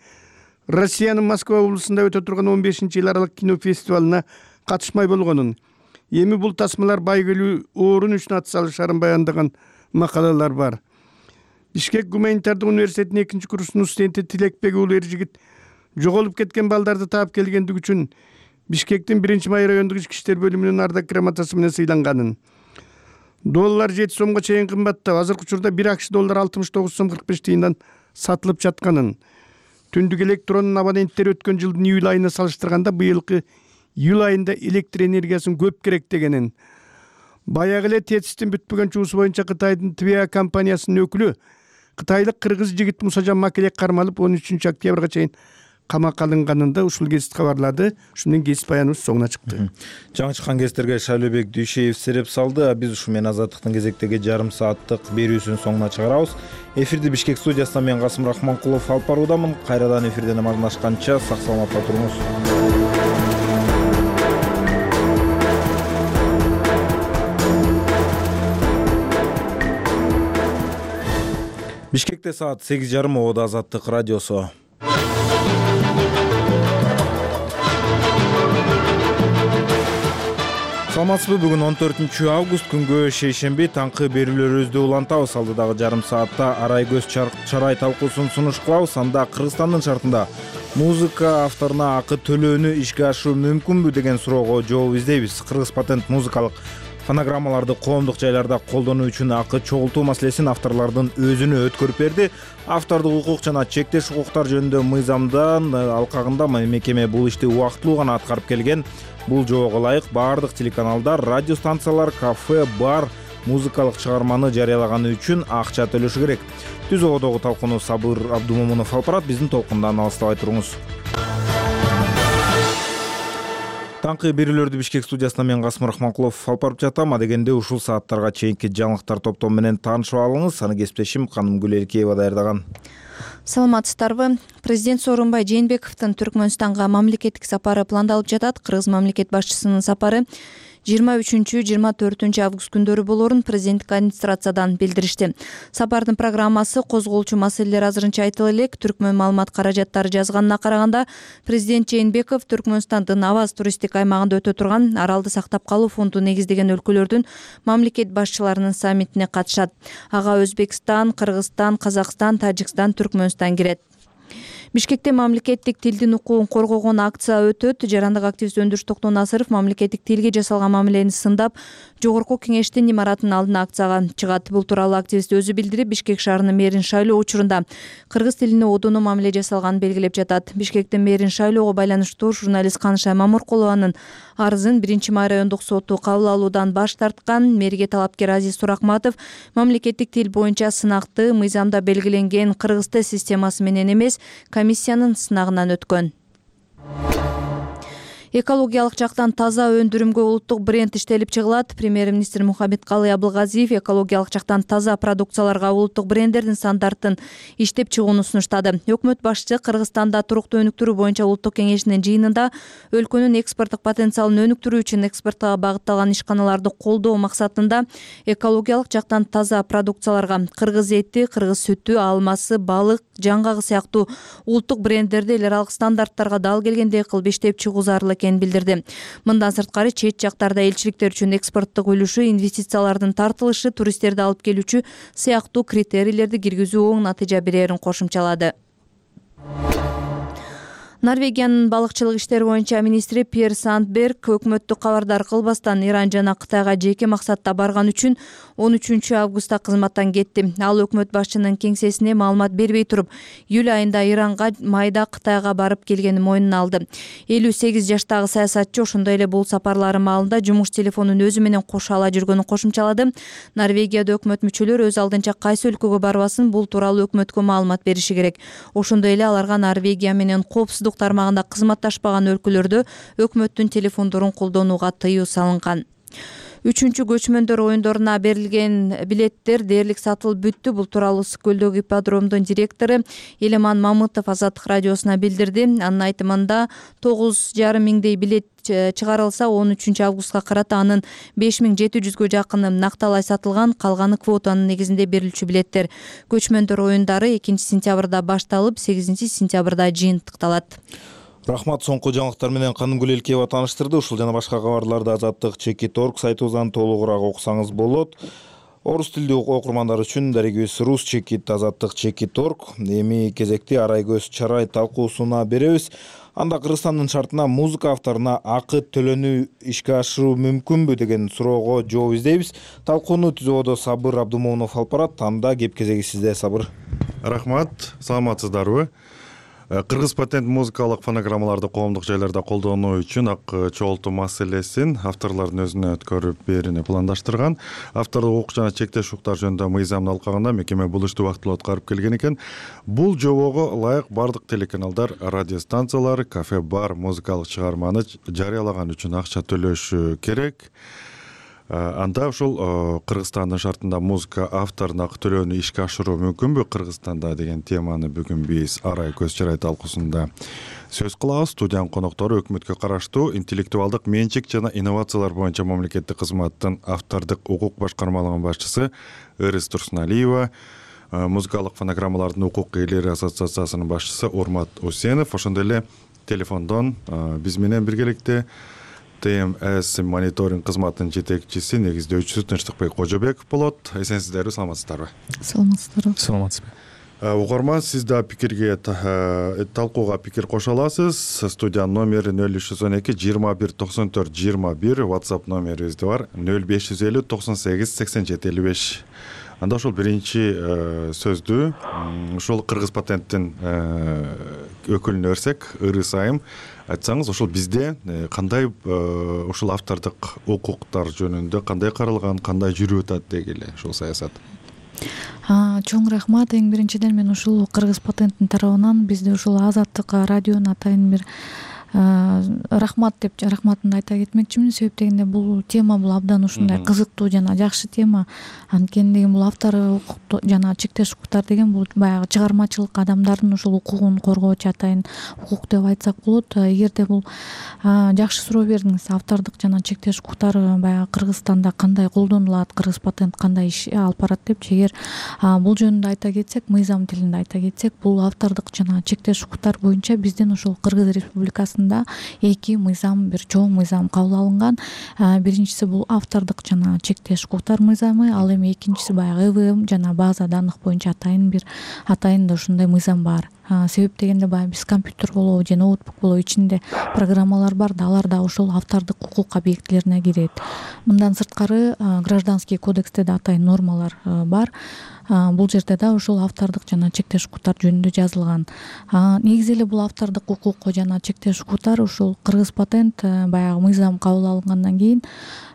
Россиянын Москва облусунда өтө турган 15-жыл аралык кино фестивалына катышмай болгонун, Эми бул тасмалар байгелүү орун үчүн ат салышарын баяндаган макалалар бар. Бишкек гуманитардык университетинин 2-курсунун студенти Тилекбек уулу Эржигит жоголуп кеткен балдарды таап келгендиги үчүн Бишкектин 1-Май райондук ички иштер бөлүмүнүн ардак грамотасы менен сыйланганын. Доллар 7 сомго чейин кымбаттап, азыркы учурда 1 акш доллар 69 сом 45 тыйындан сатылып жатканын. Түндүк электронун абоненттери өткөн жылдын июль айына салыштырганда быйылкы июль айында электр энергиясын көп керек дегенин. Баягы эле тетистин бүтпөгөн чуусу боюнча Кытайдын ТВА компаниясынын өкүлү кытайлык кыргыз жигит Мусажан Макелек кармалып 13 октябрга чейин камакка алынганын да ушул кесип кабарлады. Ушунун кесип баяныбыз соңуна чыкты. Жаңы чыккан кесиптерге Шайлообек Дүйшеев сереп салды. Биз ушу менен Азаттыктын кезектеги жарым сааттык берүүсүнүн соңуна чыгарабыз. Эфирди Бишкек студиясынан мен Касым Рахманкулов алып баруудамын. Кайрадан эфирден амандашканча сак саламатта туруңуз. Бишкекте саат 8:30 Ободо Азаттык радиосу. Саламатсызбы? Бүгүн 14 август күнгө шейшемби таңкы берүүлөрүбүздү улантабыз. Алдыдагы жарым саатта арай көз чарай талкуусун сунуш кылабыз. Анда Кыргызстандын шартында музыка авторуна акы төлөөнү ишке ашыруу мүмкүнбү деген суроого жооп издейбиз. Кыргыз патент музыкалык фонограммаларды коомдук жайларда колдонуу үчүн акы чогултуу маселесин авторлордун өзүнө өткөрүп берди. Автордук укук жана чектеш укуктар жөнүндө мыйзамдын алкагында мекеме бул ишти убактылуу гана аткарып келген. Бул жоого ылайык баардык телеканалдар, радио станциялар, кафе, бар музыкалык чыгарманы жарыялаганы үчүн акча төлөшү керек. Түз Ободогу талкууну Сабыр Абдумомунов алып барат. Биздин толкундан алыстабай туруңуз. Таңкы берүүлөрдү Бишкек студиясынан мен Касым Рахманкулов алып барып жатам. Адегенде ушул сааттарга чейинки жаңылыктар топтому менен таанышып алыңыз. Аны кесиптешим Канымгүл Элкеева даярдаган. Саламатсыздарбы? Президент Сооронбай Жээнбековдун Түркмөнстанга мамлекеттик сапары пландалып жатат. Кыргыз мамлекет башчысынын сапары 23-24 август күндөрү болорун президенттик администрациядан билдиришти. Сапардын программасы козголчу маселелер азырынча айтылып элек. Түркмөн маалымат каражаттары жазганына караганда, президент Жээнбеков Түркмөнстандын Аваз туристтик аймагында өтө турган Аралды сактап калуу фонду негиздеген өлкөлөрдүн мамлекет башчыларынын саммитине катышат. Ага Өзбекстан, Кыргызстан, Казакстан, Тажикстан, Түркмөнстан кирет. Бишкекте мамлекеттик тилдин укугун коргогон акция өтөт. Жарандык активист Өндүрүш Токтонасыров мамлекеттик тилге жасалган мамилени сындап, жогорку кеңештин имаратынын алдына акцияга чыгат. Бул тууралуу активист өзү билдирип, Бишкек шаарынын мэрин шайлоо учурунда кыргыз тилине одоно мамиле жасалганын белгилеп жатат. Бишкектин мэрин шайлоого байланыштуу журналист Канышай Мамыркулованын арызын 1-Май райондук соту кабыл алуудан баш тарткан. Мэрге талапкер Азиз Суракматов мамлекеттик тил боюнча сынакты мыйзамда белгиленген кыргыз тил системасы менен эмес, комиссиянын сынагынан өткөн. Экологиялык жактан таза өндүрүмгө улуттук бренд иштелип чыгылат. Премьер-министр Мухаммедкалый Абылгазиев экологиялык жактан таза продукцияларга улуттук бренддердин стандарттын иштеп чыгууну сунуштады. Өкмөт башчысы Кыргызстанда туруктуу өнүктүрүү боюнча улуттук кеңешинин жыйынында өлкөнүн экспорттук потенциалын өнүктүрүү үчүн экспортко багытталган ишканаларды колдоо максатында экологиялык жактан таза продукцияларга кыргыз эти, кыргыз сүтү, алмасы, балык, жаңгагы сыяктуу улуттук бренддерди эл аралык стандарттарга дал келгендей кылып иштеп чыгуу зарыл экенин билдирди. Мындан сырткары чет жактарда элчиликтер үчүн экспорттук үлүшү, инвестициялардын тартылышы, туристтерди алып келүүчү сыяктуу критерийлерди киргизүү оң натыйжа берерин кошумчалады. Норвегиянын балыкчылык иштери боюнча министри Пьер Сандберг өкмөттү кабардар кылбастан Иран жана Кытайга жеке максатта барган үчүн 13 августта кызматтан кетти. Ал өкмөт башчынын кеңсесине маалымат бербей туруп, июль айында Иранга, майда Кытайга барып келгенин мойнуна алды. 58 жаштагы саясатчы ошондой эле бул сапарлары маалында жумуш телефонун өзү менен кошо ала жүргөнүн кошумчалады. Норвегияда өкмөт мүчөлөрү өз алдынча кайсы өлкөгө барбасын, бул тууралуу өкмөткө маалымат бериши керек. Ошондой эле аларга Норвегия менен коопсуздук тармагында кызматташпаган өлкөлөрдө өкмөттүн телефондорун колдонууга тыюу салынган. 3-чү көчмөндөр оюндоруна берилген билеттер дээрлик сатылып бүттү. Бул тууралуу Ысык көлдөгү ипподромдун директору Элеман Мамытов Азаттык радиосуна билдирди. Анын айтымында 9,5 миңдей билет чыгарылса, 13 августка карата анын 5700гө жакыны накталай сатылган, калганы квотанын негизинде берилчү билеттер. Көчмөндөр оюндары 2 сентябрда башталып, 8 сентябрда жыйынтыкталат. Рахмат. Соңку жаңылыктар менен Канымгүл Элкеева тааныштырды. Ушул жана башка кабарларды Азаттык Чекит.org сайтыбыздан толугураак окусаңыз болот. Орус тилдүү окурмандар үчүн дарегибиз Рус Чекит Азаттык Чекит.org. Эми кезекти арай көз чарай талкуусуна беребиз. Анда Кыргызстандын шартына музыка авторуна акы төлөнүү ишке ашыруу мүмкүнбү деген суроого жооп издейбиз. Талкууну түзүүдө Сабыр Абдумомунов алып барат. Анда кеп кезеги сизде, Сабыр. Рахмат, саламатсыздарбы? Кыргыз патент музыкалык фонограммаларды коомдук жайларда колдонуу үчүн акы чогултуу маселесин авторлордун өзүнө өткөрүп берүүнү пландаштырган. Автордук укук жана чектеш укуктар жөнүндө мыйзамды алкаганда мекеме бул ишти убактылуу аткарып келген экен. Бул жобого ылайык бардык телеканалдар, радио станциялар, кафе, бар музыкалык чыгарманы жарыялаган үчүн акча төлөшү керек. Анда ушул Кыргызстандын шартында музыка авторуна акы төлөөнү ишке ашыруу мүмкүнбү Кыргызстанда деген теманы бүгүн биз арай көз чарай талкуусунда сөз кылабыз. Студиянын коноктору өкмөткө караштуу интеллектуалдык менчик жана инновациялар боюнча мамлекеттик кызматтын автордук укук башкармалыгынын башчысы Ырыс Турсуналиева, музыкалык фонограммалардын укук ээлери ассоциациясынын башчысы Урмат Усенов, ошондой эле телефондон биз менен биргеликте ТМС мониторинг кызматынын жетекчиси, негиздөөчүсү Тынчтыкбек Кожобеков болот. Эсенсиздерби, саламатсыздарбы? Саламатсыздарбы. Саламатсызбы. Угарман, сиз да пикирге талкууга пикир кошо аласыз. Студиянын номери 0312 21 94 21, WhatsApp номерибизде бар 0550 98 87 55. Анда ошол биринчи сөздү ошол Кыргыз патенттин өкүлүнө берсек, Ырыс айым, айтсаңыз, ошол бизде кандай ошол автордук укуктар жөнүндө кандай каралган, кандай жүрүп атат дегиле ошол саясат? Чоң рахмат. Эң биринчиден мен ушул Кыргыз патенттин тарабынан бизде ушул Азаттык радионун атайын бир рахматымды айта кетмекчимин. Себеп дегенде бул тема бул абдан ушундай кызыктуу жана жакшы тема. Анткени деген бул автор укук жана чектеш укуктар деген бул баягы чыгармачылык адамдардын ушул укугун коргоочу атайын укук деп айтсак болот. Эгерде бул жакшы суроо бердиңиз, автордук жана чектеш укуктар баягы Кыргызстанда кандай колдонулат, Кыргыз патент кандай иш алып барат депчи. Эгер бул жөнүндө айта кетсек, мыйзам тилинде айта кетсек, бул автордук жана чектеш укуктар боюнча биздин ушул Кыргыз Республикасында эки мыйзам, бир чоң мыйзам кабыл алынган. Биринчиси бул автордук жана чектеш укуктар мыйзамы, ал эми экинчиси баягы ЭВМ жана база данных боюнча атайын да ушундай мыйзам бар. Себеп дегенде баягы биз компьютер болобу же ноутбук болобу ичинде программалар бар да, алар да ошол автордук укук объектилерине кирет. Мындан сырткары гражданский кодексте да атайын нормалар бар. Бул жерде да ошол автордук жана чектеш укуктар жөнүндө жазылган. Негизи эле бул автордук укук жана чектеш укуктар ушул Кыргыз патент баягы мыйзам кабыл алынгандан кийин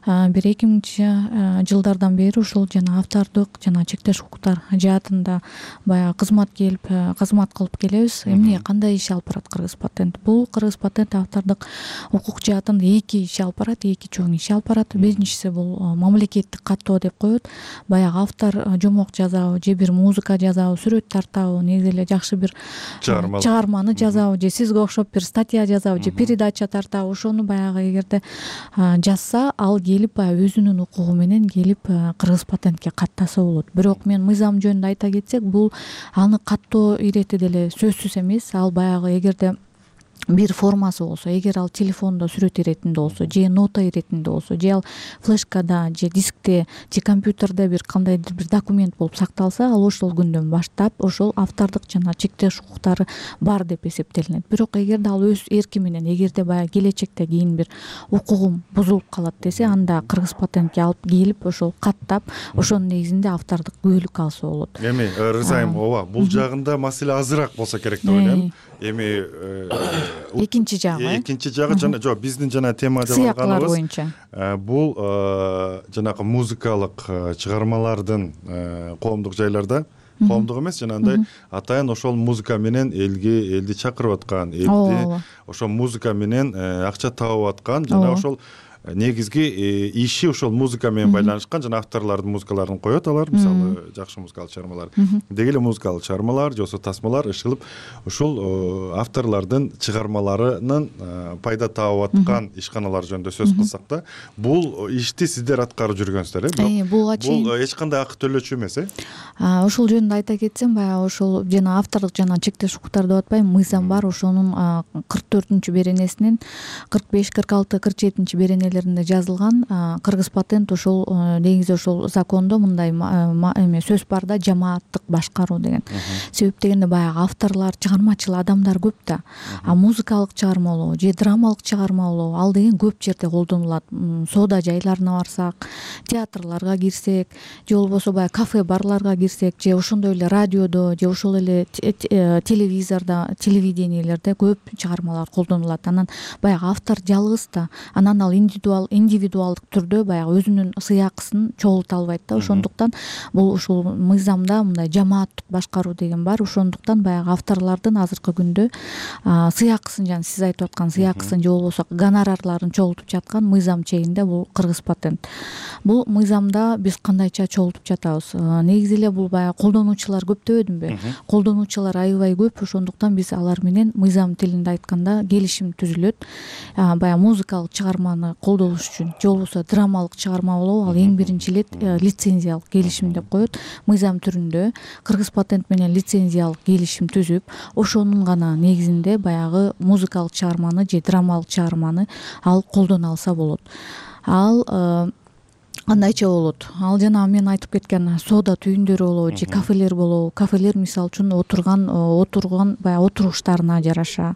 бир 2000-жылдардан бери ушул жана автордук жана чектеш укуктар жаатында баягы кызмат кылып келебиз. Эмне кандай иш алып барат Кыргыз патент? Бул Кыргыз патент автордук укук жаатында эки иш алып барат, эки чоң иш алып барат. Биринчиси бул мамлекеттик каттоо деп коет. Баягы автор жомок жазабы же бир музыка жазабы, сүрөт тартабы, негизи эле жакшы бир чыгарманы жазабы же сизге окшоп бир статья жазабы же передача тартабы, ошону баягы эгерде жазса, ал келип баягы өзүнүн укугу менен келип Кыргыз патентке каттаса болот. Бирок мен мыйзам жөнүндө айта кетсек, бул аны каттоо ирети деле сөзсүз эмес. Ал баягы эгерде бир формасы болсо, эгер ал телефондо сүрөт иретинде болсо, же нота иретинде болсо, же ал флешкада, же дискте, же компьютерде бир кандайдыр бир документ болуп сакталса, ал ошол күндөн баштап ошол автордук жана чектеш укуктары бар деп эсептелинет. Бирок эгерде ал өз эрки менен, эгерде баягы келечекте кийин бир укугум бузулуп калат десе, анда Кыргыз патентке алып келип ошол каттап, ошонун негизинде автордук күбөлүк алса болот. Эми Рызайым, ооба, бул жагында маселе азыраак болсо керек деп ойлойм. Эми экинчи жагы жана жок, биздин жана тема деп алганыбыз боюнча бул жанагы музыкалык чыгармалардын коомдук жайларда, коомдук эмес, жанагындай атайын ошол музыка менен элди чакырып аткан, элди ошол музыка менен акча таап аткан, жана ошол негизги иши ушул музыка менен байланышкан жана авторлордун музыкаларын коет алар, мисалы жакшы музыкалык чыгармалар. Деги эле музыкалык чыгармалар же болбосо тасмалар ишылып ушул авторлордун чыгармаларынын пайда таап аткан ишканалар жөнүндө сөз кылсак да, бул ишти сиздер аткарып жүргөнсүздөр, буга чейин бул эч кандай акы төлөөчү эмес, ушул жөнүндө айта кетсем, баягы ушул жана авторлук жана чектеш укуктар деп атпайм, мыйзам бар, ошонун 44 беренесинин 45, 46, 47 беренелеринде жазылган кыргыз патент ушул негизи ушул закондо мындай сөз бар да, жамааттык башкаруу деген. Себеп дегенде баягы авторлор, чыгармачыл адамдар көп да. Музыкалык чыгармалоо же драмалык чыгармалоо ал деген көп жерде колдонулат. Соода жайларына барсак, театрларга кирсек, же болбосо баягы кафе барларга кирсек, же ошондой эле радиодо, же ошол эле телевизордо, телевидениелерде көп чыгармалар колдонулат. Анан баягы автор жалгыз да, анан ал индивидуалдык түрдө баягы өзүнүн сыйакысын чогулта албайт да. Ошондуктан бул ушул мыйзамда мындай жамааттык башкаруу деген бар. Ошондуктан баягы авторлордун азыркы күндө сыйакысын, жана сиз айтып аткан сыйакысын же болбосо гонорарларын чогултуп жаткан мыйзам чегинде бул кыргыз патент. Бул мыйзамда биз кандайча чогултуп жатабыз? Негизи эле бул баягы колдонуучулар көп дебедимби? Колдонуучулар аябай көп, ошондуктан биз алар менен мыйзам тилинде айтканда келишим түзүлөт. Баягы музыкалык чыгарманы колдолуш үчүн же болбосо драмалык чыгарма болобу, ал эң биринчи лицензиялык келишим деп коет. Мыйзам түрүндө кыргыз патент менен лицензиялык келишим түзүп, ошонун гана негизинде баягы музыкалык чыгарманы же драмалык чыгарманы ал колдоно алса болот. Ал кандайча болот? Ал жана мен айтып кеткен соода түйүндөрү болобу же кафелер болобу. Кафелер мисалы үчүн отурган баягы отуруштарына жараша.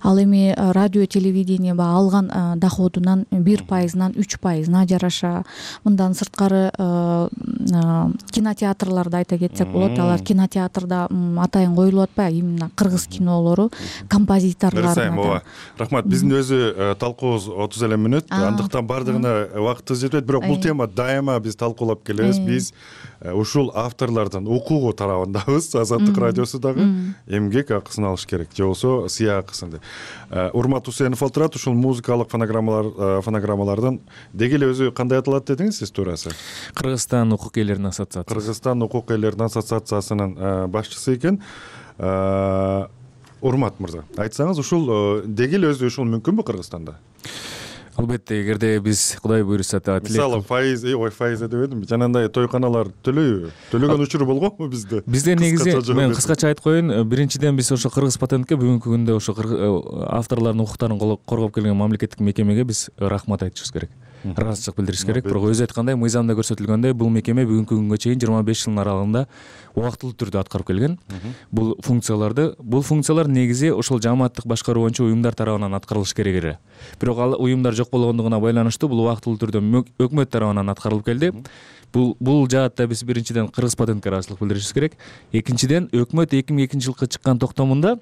Ал эми радио, телевидение алган доходунан 1%-нан 3%-на жараша. Мындан сырткары кинотеатрларды айта кетсек болот. Алар кинотеатрда атайын коюлуп атпайбы? Именно кыргыз кинолору композиторлоруна. Рахмат. Биздин өзү талкуубуз 30 эле мүнөт. Андыктан бардыгына убактыбыз жетпейт, бирок бул тема дайыма биз талкуулап келебиз. Биз ушул авторлордун укугу тарабындабыз. Азаттык радиосу дагы эмгек акысын алыш керек, же болбосо сыйакысын деп. Урмат Усенов олтурат. Ушул музыкалык фонограммалардын деги эле өзү кандай аталат дедиңиз сиз туурасы? Кыргызстан укук ээлеринин ассоциациясы. Кыргызстан укук ээлеринин ассоциациясынын башчысы экен. Урмат мырза, айтсаңыз, ушул деги эле өзү ушул мүмкүнбү Кыргызстанда? Албетте, эгерде биз Кудай буйруса мисалы файыз дебедимби? Жанагындай тойканалар төлөгөн учуру болгонбу бизде? Бизде негизи мен кыскача айтып коеюн. Биринчиден биз ошо кыргыз патентке бүгүнкү күндө ошо авторлордун укуктарын коргоп келген мамлекеттик мекемеге биз рахмат айтышыбыз керек. Ыраазычылык билдириш керек. Бирок өзү айткандай, мыйзамда көрсөтүлгөндөй, бул мекеме бүгүнкү күнгө чейин 25 жылдын аралыгында убактылуу түрдө аткарып келген. Бул функциялар негизи ошол жамааттык башкаруу боюнча уюмдар тарабынан аткарылыш керек эле. Бирок ал уюмдар жок болгондугуна байланыштуу бул убактылуу түрдө өкмөт тарабынан аткарылып келди. Бул жаатта биз биринчиден кыргыз патентке ыраазычылык билдиришибиз керек. Экинчиден, өкмөт 2002-жылкы чыккан токтомунда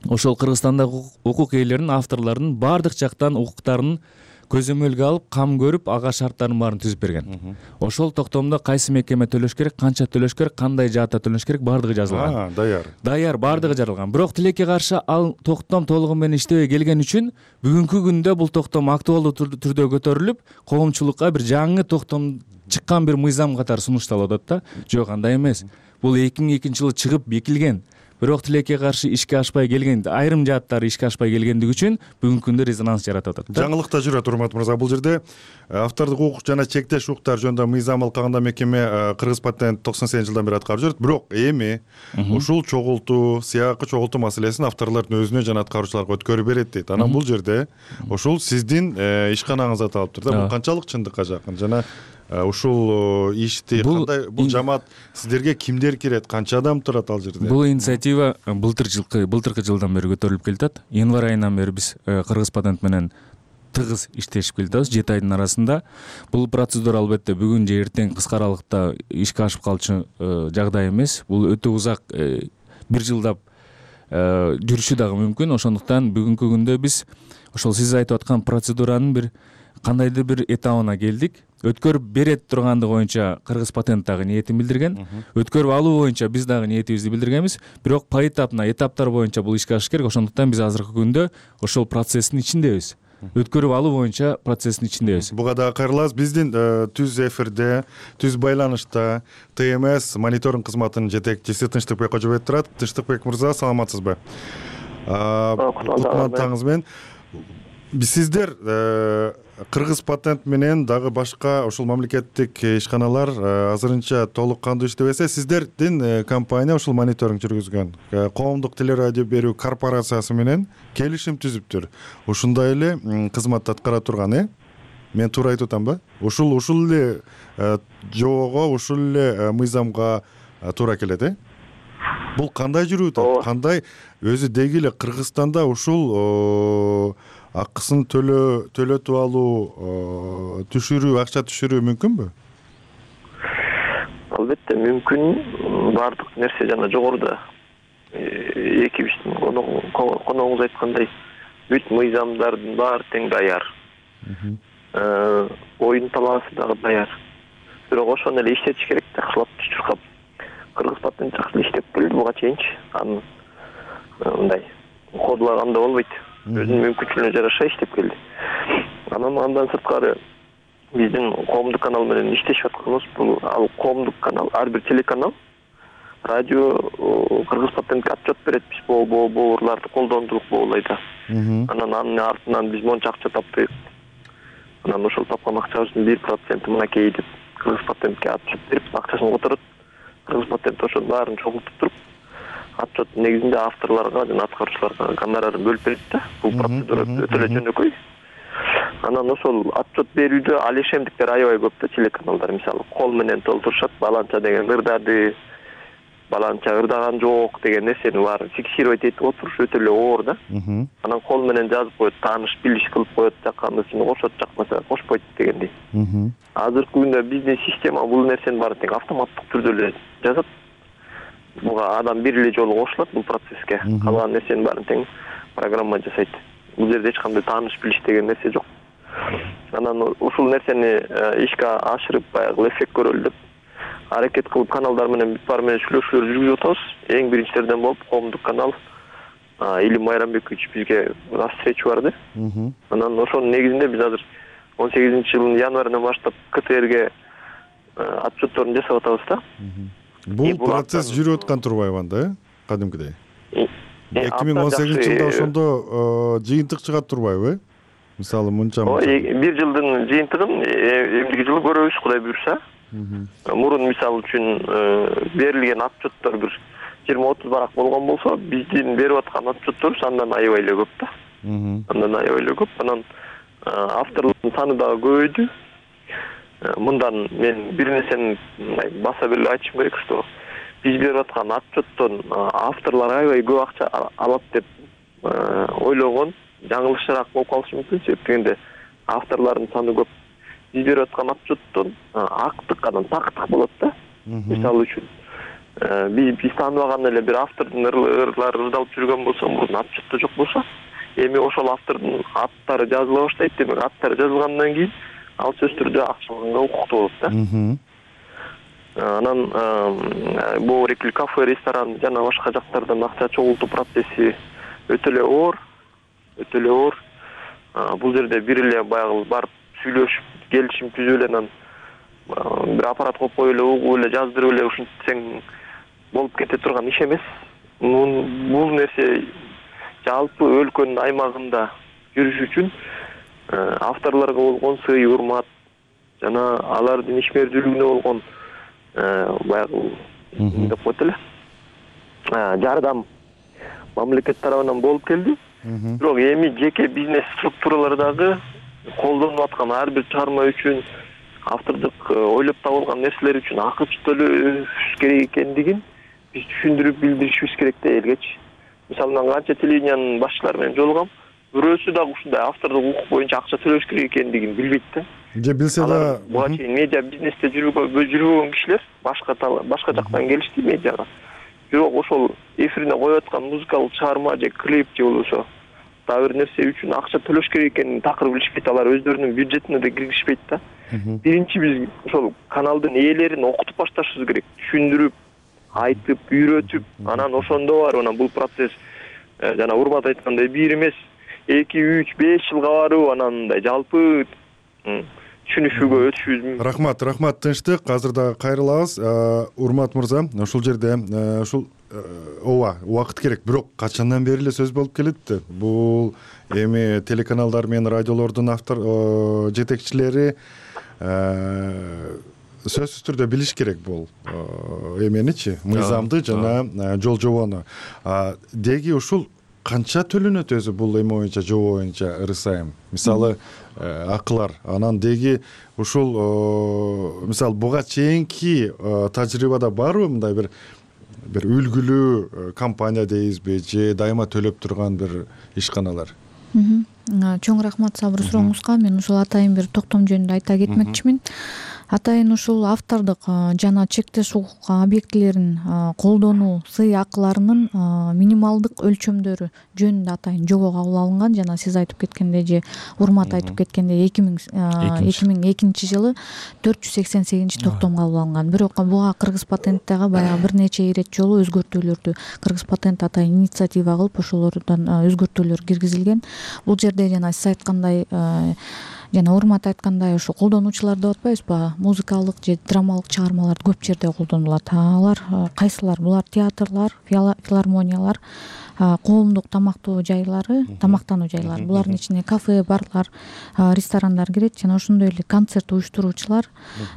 ошол Кыргызстандагы укук ээлеринин, авторлордун баардык жактан укуктарын көзөмөлгө алып, кам көрүп, ага шарттарын баарын түзүп берген. Ошол токтомдо кайсы мекеме төлөш керек, канча төлөш керек, кандай жаатта төлөш керек, баардыгы жазылган. Даяр, баардыгы жаралган. Бирок тилекке каршы ал токтом толугу менен иштебей келген үчүн бүгүнкү күндө бул токтом актуалдуу түрдө көтөрүлүп, коомчулукка бир жаңы токтом чыккан бир мыйзам катары сунушталып атат да. Жок, андай эмес. Бул 2002-жылы чыгып бекилген. Бирок тилекке каршы ишке ашпай келген, айрым жааттары ишке ашпай келгендиги үчүн бүгүнкү күндө резонанс жаратып атат. Жаңылык да жүрөт, Урмат мырза. Бул жерде автордук укук жана чектеш укуктар жөнүндө мыйзам алкагында мекеме Кыргыз патент 98-жылдан бери аткарып жүрөт. Бирок эми ушул чогултуу, сыйакы чогултуу маселесин авторлордун өзүнө жана аткаруучуларга өткөрүп берет дейт. Анан бул жерде ушул сиздин ишканаңызда аталыптыр да. Бул канчалык чындыкка жакын? Жана ушул ишти кандай, бул жамаат сиздерге кимдер кирет, канча адам турат ал жерде? Бул инициатива былтыркы жылдан бери көтөрүлүп келатат. Январь айынан бери биз Кыргыз патент менен тыгыз иштешип келатабыз 7 айдын арасында. Бул процедура албетте бүгүн же эртең кыска аралыкта ишке ашып калчу жагдай эмес. Бул өтө узак, 1 жылдап жүрүшү дагы мүмкүн. Ошондуктан бүгүнкү күндө биз ошол сиз айтып аткан процедуранын бир кандайдыр бир этабына келдик. Өткөрүп берет тургандыгы боюнча Кыргыз патент дагы ниетин билдирген. Өткөрүп алуу боюнча биз дагы ниетибизди билдиргенбиз. Бирок этаптар боюнча бул ишке ашыш керек. Ошондуктан биз азыркы күндө ошол процесстин ичиндебиз. өткөрүп алуу боюнча процесстин ичиндебиз. Буга дагы кайрылабыз. Биздин түз эфирде, түз байланышта ТМС мониторинг кызматынын жетекчиси Тынчтыкбек Кожобаев турат. Тынчтыкбек мырза, саламатсызбы? Кутман менен. Сиздер Кыргыз патент менен дагы башка ушул мамлекеттик ишканалар азырынча толук кандуу иштебесе, сиздердин компания ушул мониторинг жүргүзгөн коомдук телерадио берүү корпорациясы менен келишим түзүптүр. Ушундай эле кызматты аткара турган, Мен туура айтып атамбы? Ушул эле жоого, ушул эле мыйзамга туура келет, Бул кандай жүрүп атат? Кандай өзү деги эле Кыргызстанда ушул акысын төлөтүп алуу, акча түшүрүү мүмкүнбү? Албетте мүмкүн. Бардык нерсе жана жогоруда экибиздин коногуңуз айткандай бүт мыйзамдардын баары тең даяр. Оюн талаасы дагы даяр. Бирок ошону эле иштетиш керек да, кылап чуркап. Кыргыз патент жакшы иштеп келди буга чейинчи. Анын мындай кодлаганда болбойт. Өзүнүн мүмкүнчүлүгүнө жараша иштеп келди. Андан сырткары биздин коомдук канал менен иштешип атканыбыз бул ал коомдук канал, ар бир телеканал радио Кыргыз патентке отчет берет, биз бооруларды колдондук болайда. Анын артынан биз монча акча таптык. Анан ошол тапкан акчабыздын 1% мынакей деп Кыргыз патентке отчет берип, акчасын которот. Кыргыз патент ошол баарын чогултуп туруп, отчет негизинде авторлорго жана аткаруучуларга гонорарын бөлүп берет да. Бул процедура өтө эле жөнөкөй. Анан ошол отчет берүүдө ал ишемдиктер аябай көп да, телеканалдар мисалы кол менен толтурушат, баланча деген ырдады, баланча ырдаган жок деген нерсени баарын фиксировать этип отуруш өтө эле оор да. Анан кол менен жазып коет, тааныш билиш кылып коет, жакканысын кошот, жакмаса кошпойт дегендей. Азыркы күндө биздин система бул нерсени баарын тең автоматтык түрдө эле жазат. Буга адам бир эле жолу кошулат бул процесске. Калган нерсенин баарын тең программа жасайт. Бул жерде эч кандай тааныш билиш деген нерсе жок. Анан ушул нерсени ишке ашырып баягы эффект көрөлү деп аракет кылып каналдар менен бүт баары менен сүйлөшүүлөр жүргүзүп атабыз. Эң биринчилерден болуп коомдук канал Илим Майрамбекович бизге встреча барды. Анан ошонун негизинде биз азыр 18-жылдын январынан баштап КТРге отчетторун жасап атабыз да. Бул процесс жүрүп аткан турбайбы анда, кадимкидей? 2018-жылда ошондо жыйынтык чыгат турбайбы? Мисалы мынча. Бир жылдын жыйынтыгын эмдиги жылы көрөбүз, Кудай буйрса. Мурун мисалы үчүн берилген отчеттор бир 20-30 барак болгон болсо, биздин берип аткан отчетторубуз андан аябай эле көп да. Анан авторлордун саны дагы көбөйдү. Мындан мен бир нерсени баса беле айтышым керек, что биз берип аткан отчеттон авторлор аябай көп акча алат деп ойлогон жаңылышыраак болуп калышы мүмкүн. Себеп дегенде авторлордун саны көп. Биз берип аткан отчеттон актык, анан тактык болот да. Мисалы үчүн биз тааныбаган эле бир автордун ырлары ырдалып жүргөн болсо, мурун отчетто жок болсо, эми ошол автордун аттары жазыла баштайт. Демек аттары жазылгандан кийин ал сөз түрдө акча алганга укуктуу болот да. Анан Боорекил кафе, ресторан жана башка жактардан акча чогултуу процесси өтө эле оор. Бул жерде бир эле баягы барып сүйлөшүп, келишим түзүп эле анан бир аппарат коюп эле, угуп эле, жаздырып эле ушинтсең болуп кете турган иш эмес. Бул нерсе жалпы өлкөнүн аймагында жүрүш үчүн авторлорго болгон сый урмат жана алардын ишмердүүлүгүнө болгон баягы деп коет эле жардам мамлекет тарабынан болуп келди. Бирок эми жеке бизнес структуралар дагы колдонуп аткан ар бир чыгарма үчүн, автордук ойлоп табылган нерселер үчүн акы төлөш керек экендигин биз түшүндүрүп билдиришибиз керек да элгечи. Мисалы мен канча телевидениянын башчылары менен жолугам, бирөөсү дагы ушундай автордук укук боюнча акча төлөш керек экендигин билбейт да. Же билсе да буга чейин медиа бизнесте жүрбөгөн кишилер башка жактан келишти медиага. Бирок ошол эфирине коюп аткан музыкалык чыгарма же клип же болбосо дагы бир нерсе үчүн акча төлөш керек экенин такыр билишпейт. Алар өздөрүнүн бюджетине да киргизишпейт да. Биринчи биз ошол каналдын ээлерин окутуп башташыбыз керек, түшүндүрүп, айтып, үйрөтүп, анан ошондо бар анан бул процесс жана Урмат айткандай бир эмес 2, 3, 5 жылга барып анан мындай жалпы түшүнүшүүгө өтүшүбүз. Рахмат, тынчтык. Азыр дагы кайрылабыз. Урмат мырза, ушул жерде ушул ооба убакыт керек, бирок качандан бери эле сөз болуп келет. Бул эми телеканалдар менен радиолордун жетекчилери сөзсүз түрдө билиш керек бул эменичи, мыйзамды жана жол жобону. Деги ушул канча төлөнөт өзү бул эме боюнча, жобо боюнча ырысайым? Мисалы акылар, анан деги ушул мисалы буга чейинки тажрыйбада барбы мындай бир үлгүлүү компания дейбизби, же дайыма төлөп турган бир ишканалар? Чоң рахмат сабыр сурооңузга. Мен ушул атайын бир токтом жөнүндө айта кетмекчимин. Атайын ушул автордук жана чектеш укук объектилерин колдонуу сыйакыларынын минималдык өлчөмдөрү жөнүндө атайын жобо кабыл алынган. Жана сиз айтып кеткендей же Урмат айтып кеткендей 2002 жылы 488 токтом кабыл алынган. Бирок буга Кыргыз патенттеги баягы бир нече ирет жолу өзгөртүүлөрдү Кыргыз патент атайын инициатива кылып ошолордон өзгөртүүлөр киргизилген. Бул жерде жана сиз айткандай жана Урмат айткандай ушу колдонуучулар деп атпайбызбы, музыкалык же драмалык чыгармалар көп жерде колдонулат. Алар кайсылар? Булар театрлар, филармониялар, коомдук тамактануу жайлары, булардын ичине кафе, барлар, ресторандар кирет, жана ошондой эле концерт уюштуруучулар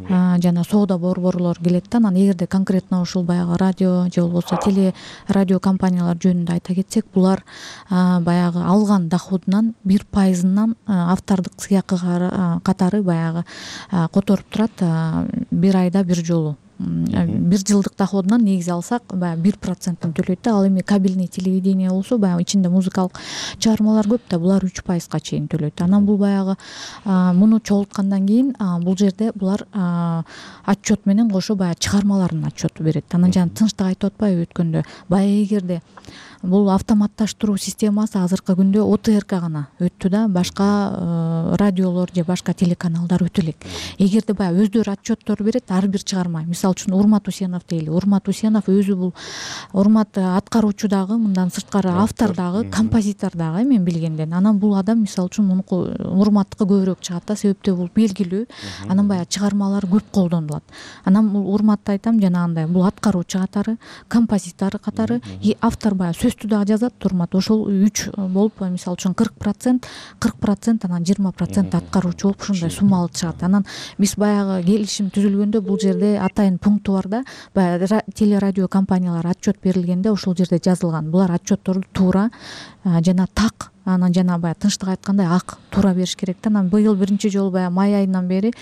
жана соода борборлор келет да. Анан эгерде конкретно ушул баягы радио же болбосо теле радио компаниялар жөнүндө айта кетсек, булар баягы алган доходунан 1% автордук сыйакы катары баягы которуп турат бир айда бир жолу. Бир жылдык доходунан негизи алсак баягы 1% төлөйт да. Ал эми кабельный телевидение болсо баягы ичинде музыкалык чыгармалар көп да, булар 3%га чейин төлөйт. Анан бул баягы муну чогулткандан кийин бул жерде булар отчет менен кошо баягы чыгармалардын отчету берет. Анан жана тынчтык айтып атпайбы өткөндө, баягы эгерде бул автоматташтыруу системасы азыркы күндө ОТРК гана өттү да, башка радиолор же башка телеканалдар өтө элек. Эгерде баягы өздөрү отчеттор берет ар бир чыгарма, мисалы үчүн Урмат Усенов дейли. Урмат Усенов өзү бул Урмат аткаруучу дагы, мындан сырткары автор дагы, композитор дагы мен билгенден. Анан бул адам мисалы үчүн мунуку Урматтыкы көбүрөөк чыгат да, себептөө бул белгилүү. Анан баягы чыгармалар көп колдонулат. Анан бул Урматты айтам жанагындай, бул аткаруучу катары, композитор катары, автор баягы сөздү дагы жазат. Урмат ошол 3 болуп, мисалы үчүн 40%, анан 20% аткаруучу болуп ошондой суммалы чыгат. Анан биз баягы келишим түзүлгөндө бул жерде атайын пункту бар да, баягы телерадио компаниялар отчет берилгенде ошол жерде жазылган. Булар отчетторду туура жана так, анан жана баягы тынчтык айткандай ак туура бериш керек да. Анан быйыл биринчи жолу баягы май айынан бери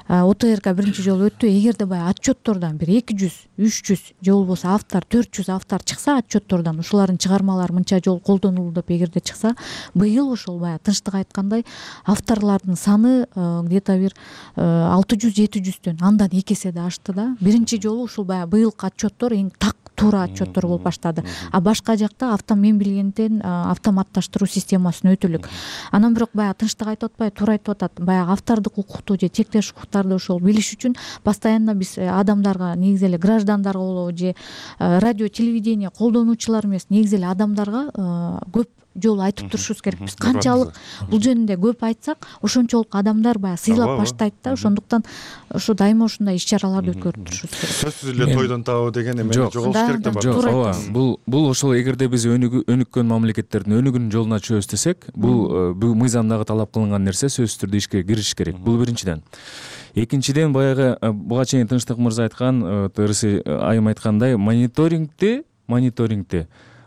ОТРК биринчи жолу өттү. Эгерде баягы отчеттордон бир 200, 300 же болбосо автор 400 автор чыкса отчеттордон, ушулардын чыгармалары мынча жолу колдонулду деп эгерде чыкса, быйыл ошол баягы тынчтык айткандай авторлордун саны где-то бир 600-700төн андан 2 эсе да ашты да. Биринчи жолу ушул баягы быйылкы отчеттор эң так туура отчеттор болуп баштады. А башка жакта мен билгенден автоматташтыруу системасын өтө элек. Анан бирок баягы тынчтык айтып атпайбы, туура айтып атат. Баягы автордук укукту же чектеш укуктарды ошол билиш үчүн постоянно биз адамдарга, негизи эле граждандарга болобу же радио телевидение колдонуучулар эмес, негизи эле адамдарга көп жолу айтып турушубуз керек. Биз канчалык бул жөнүндө көп айтсак, ошончолук адамдар баягы сыйлап баштайт да. Ошондуктан ошо дайыма ушундай иш-чараларды өткөрүп турушубуз керек. Сөзсүз эле тойдон табуу деген эме жоголуш керек да. Жок, ооба. Бул ошол эгерде биз өнүккөн мамлекеттердин өнүгүүнүн жолуна чыгабыз десек, бул мыйзамдагы талап кылынган нерсе сөзсүз түрдө ишке кириш керек. Бул биринчиден. Экинчиден баягы буга чейин Тынчтык мырза айткан, тырысы айым айткандай, мониторингти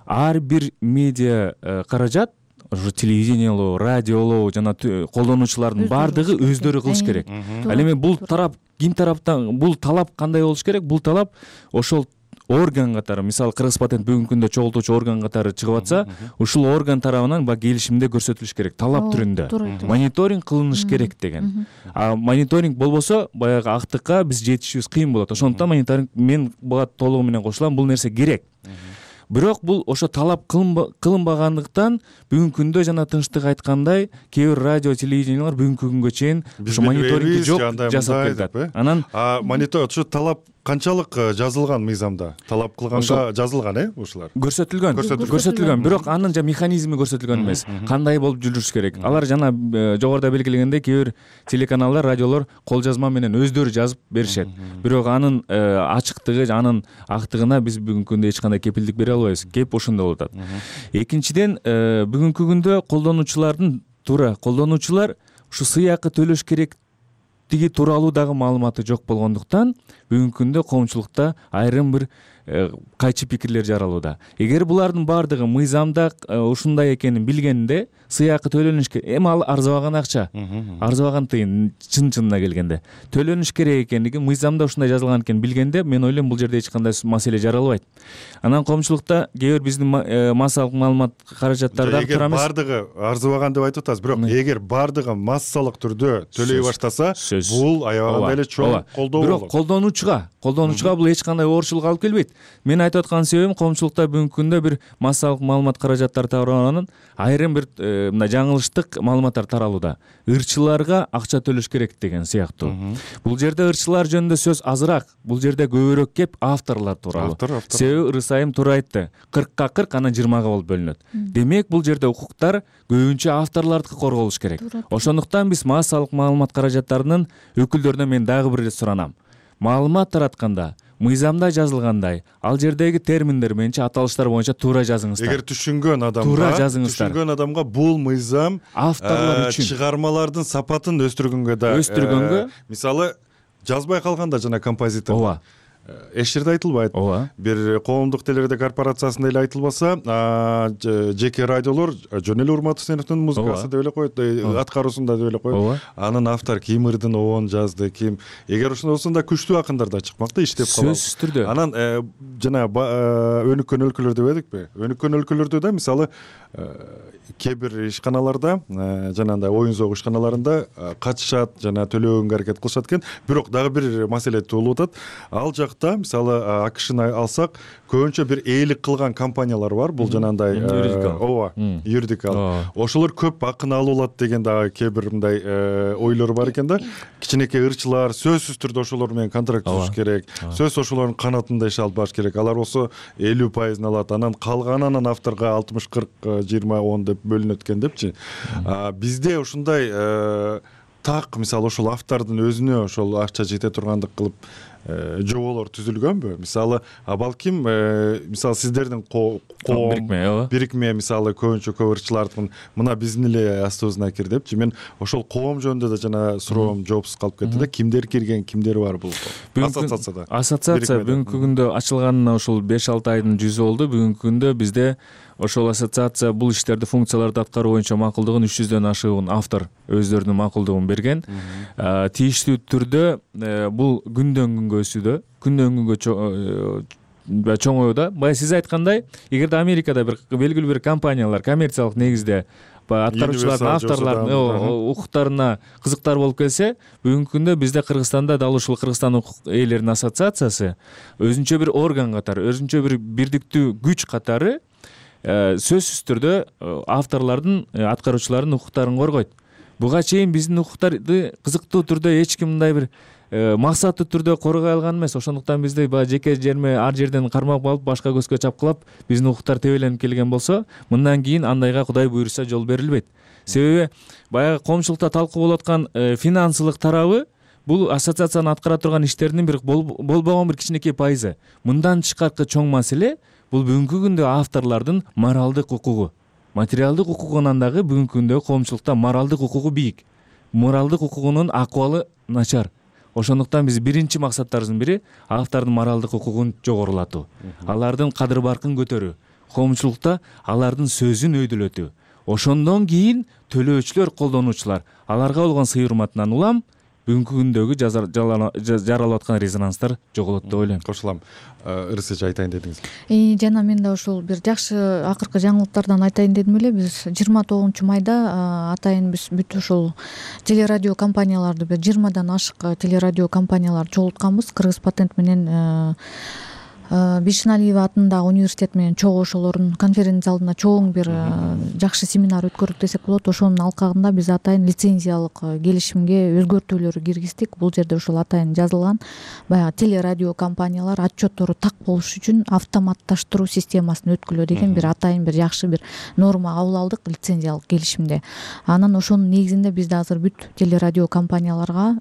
ар бир медиа каражат, ошо телевидениелоо, радиолоо жана колдонуучулардын баардыгы өздөрү кылыш керек. Ал эми бул тарап ким тараптан, бул талап кандай болуш керек? Бул талап ошол орган катары, мисалы Кыргыз патент бүгүнкү күндө чогултуучу орган катары чыгып атса, ушул орган тарабынан баягы келишимде көрсөтүлүш керек, талап түрүндө. Мониторинг кылыныш керек деген. А мониторинг болбосо баягы актыкка биз жетишибиз кыйын болот. Ошондуктан мониторинг мен буга толугу менен кошулам, бул нерсе керек. Бирок бул ошо талап кылынбагандыктан бүгүнкү күндө жана Тынчтык айткандай, кээ бир радио телевидениялар бүгүнкү күнгө чейин ошо мониторинг жок жасап келатат. Анан мониторинг ошо талап канчалык жазылган мыйзамда талап кылганга жазылган ушулар көрсөтүлгөн бирок анын механизми көрсөтүлгөн эмес, кандай болуп жүрүш керек. Алар жана жогоруда белгилегендей кээ бир телеканалдар, радиолор кол жазма менен өздөрү жазып беришет, бирок анын ачыктыгы, анын актыгына биз бүгүнкү күндө эч кандай кепилдик бере албайбыз. Кеп ошондо болуп атат. Экинчиден, бүгүнкү күндө колдонуучулар ушу сыйакы төлөш керектиги тууралуу дагы маалыматы жок болгондуктан бүгүнкү күндө коомчулукта айрым бир кайчы пикирлер жаралууда. Эгер булардын баардыгы мыйзамда ушундай экенин билгенде сыйакы төлөнүш керек. Эми ал арзыбаган акча, арзыбаган тыйын чын-чынына келгенде төлөнүш керек экендиги мыйзамда ушундай жазылган экенин билгенде, мен ойлойм бул жерде эч кандай маселе жаралбайт. Анан коомчулукта кээ бир биздин массалык маалымат каражаттарда тура эмес. Эгер баардыгы арзыбаган деп айтып атасыз, бирок эгер баардыгы массалык түрдө төлөй баштаса, бул аябагандай эле чоң колдоо болот. Бирок колдонуучуга бул эч кандай оорчулук алып келбейт. Мен айтып аткан себебим, коомчулукта бүгүнкү күндө бир массалык маалымат каражаттары тарабынан айрым бир мындай жаңылыштык маалыматтар таралууда. Ырчыларга акча төлөш керек деген сыяктуу. Бул жерде ырчылар жөнүндө сөз азыраак, бул жерде көбүрөөк кеп авторлор тууралуу. Себеби Ырысайым туура айтты, 40ка 40 анан 20га болуп бөлүнөт. Демек бул жерде укуктар көбүнчө авторлордуку корголуш керек. Ошондуктан биз массалык маалымат каражаттарынын өкүлдөрүнөн мен дагы бир ирет суранам. Маалымат таратканда мыйзамда жазылгандай, ал жердеги терминдер менчи аталыштар боюнча туура жазыңыздар. Эгер түшүнгөн адамга бул мыйзам авторлор үчүн чыгармалардын сапатын өстүргөнгө, мисалы жазбай калганда жана композитор эч жерде айтылбайт. Бир коомдук телерадио корпорациясында эле айтылбаса, жеке радиолор жөн эле Урматовдун музыкасы деп эле коет, аткаруусунда деп эле коет. Анын автор ким ырдын обон жазды, ким. Эгер ошондой болсо да күчтүү акындар да чыкмакта, иштеп калат. Сөзсүз түрдө. Анан жана өнүккөн өлкөлөр деп эдикпи? Өнүккөн өлкөлөрдө да мисалы кээ бир ишканаларда, жанагындай оюн зоок ишканаларында катышат, жана төлөгөнгө аракет кылышат экен. Бирок дагы бир маселе туулуп атат. Ал жакта мисалы АКШны алсак, көбүнчө бир ээлик кылган компаниялар бар. Бул жанагындай юридикал. Ошолор көп акын алып алат деген дагы кээ бир мындай ойлор бар экен да. Кичинекей ырчылар сөзсүз түрдө ошолор менен контракт түзүш керек. Сөз ошолордун канатында иш алып барыш керек. Алар болсо 50% алат. Анан калганын авторго 60-40-20-10 деп бөлүнөт экен депчи. Бизде ушундай так мисалы ошол автордун өзүнө ошол акча жете тургандык кылып жоболор түзүлгөнбү? Мисалы, балким мисалы сиздердин бирикме мисалы көбүнчө көп ырчылардын мына биздин эле астыбызына кир депчи. Мен ошол коом жөнүндө да жана суроом жоопсуз калып кетти да. Кимдер кирген, кимдер бар бул ассоциацияда? Ассоциация бүгүнкү күндө ачылганына ушул 5-6 айдын жүзү болду. Бүгүнкү күндө бизде ошол ассоциация бул иштерди, функцияларды аткаруу боюнча макулдугун 300дөн ашыгын автор өздөрүнүн макулдугун берген. Тийиштүү түрдө бул күндөн күнгө өсүүдө, күндөн күнгө чоңоюуда. Бая сиз айткандай, эгерде Америкада бир белгилүү бир компаниялар коммерциялык негизде аткаруучулардын, авторлордун укуктарына кызыктар болуп келсе, бүгүнкү күндө бизде Кыргызстанда дал ушул Кыргызстан укук ээлеринин ассоциациясы өзүнчө бир орган катары, өзүнчө бир бирдиктүү күч катары сөзсүз түрдө авторлордун, аткаруучулардын укуктарын коргойт. Буга чейин биздин укуктарды кызыктуу түрдө эч ким мындай бир максаттуу түрдө коргой алган эмес. Ошондуктан бизде баягы жеке жерме ар жерден кармап алып, башка көзгө чапкылап, биздин укуктар тебеленип келген болсо, мындан кийин андайга Кудай буйруса жол берилбейт. Себеби баягы коомчулукта талкуу болуп аткан финансылык тарабы бул ассоциациянын аткара турган иштеринин бир болбогон бир кичинекей пайызы. Мындан тышкаркы чоң маселе бул бүгүнкү күндө авторлордун моралдык укугу. Материалдык укугунан дагы бүгүнкү күндө коомчулукта моралдык укугу бийик. Моралдык укугунун акыбалы начар. Ошондуктан биз биринчи максаттарыбыздын бири автордун моралдык укугун жогорулатуу. Алардын кадыр баркын көтөрүү. Коомчулукта алардын сөзүн өйдөлөтүү. Ошондон кийин төлөөчүлөр, колдонуучулар аларга болгон сый урматынан улам бүгүнкү күндөгү жаралып аткан резонанстар жоголот деп ойлойм. Кошулам. Ырысыч айтайын дедиңиз. Жана мен да ушул бир жакшы акыркы жаңылыктардан айтайын дедим эле. Биз 29-майда атайын биз бүт ушул телерадио компанияларды 20дан ашык телерадио компанияларды чогултканбыз. Кыргыз патент менен Бишеналиева атындагы университет менен чогуу ошолордун конференция залында чоң бир жакшы семинар өткөрдүк десек болот. Ошонун алкагында биз атайын лицензиялык келишимге өзгөртүүлөр киргиздик. Бул жерде ошол атайын жазылган. Баягы телерадио компаниялар отчеттору так болуш үчүн автоматташтыруу системасын өткүлөө деген бир атайын бир жакшы бир норма кабыл алдык лицензиялык келишимде. Анан ошонун негизинде биз да азыр бүт телерадио компанияларга,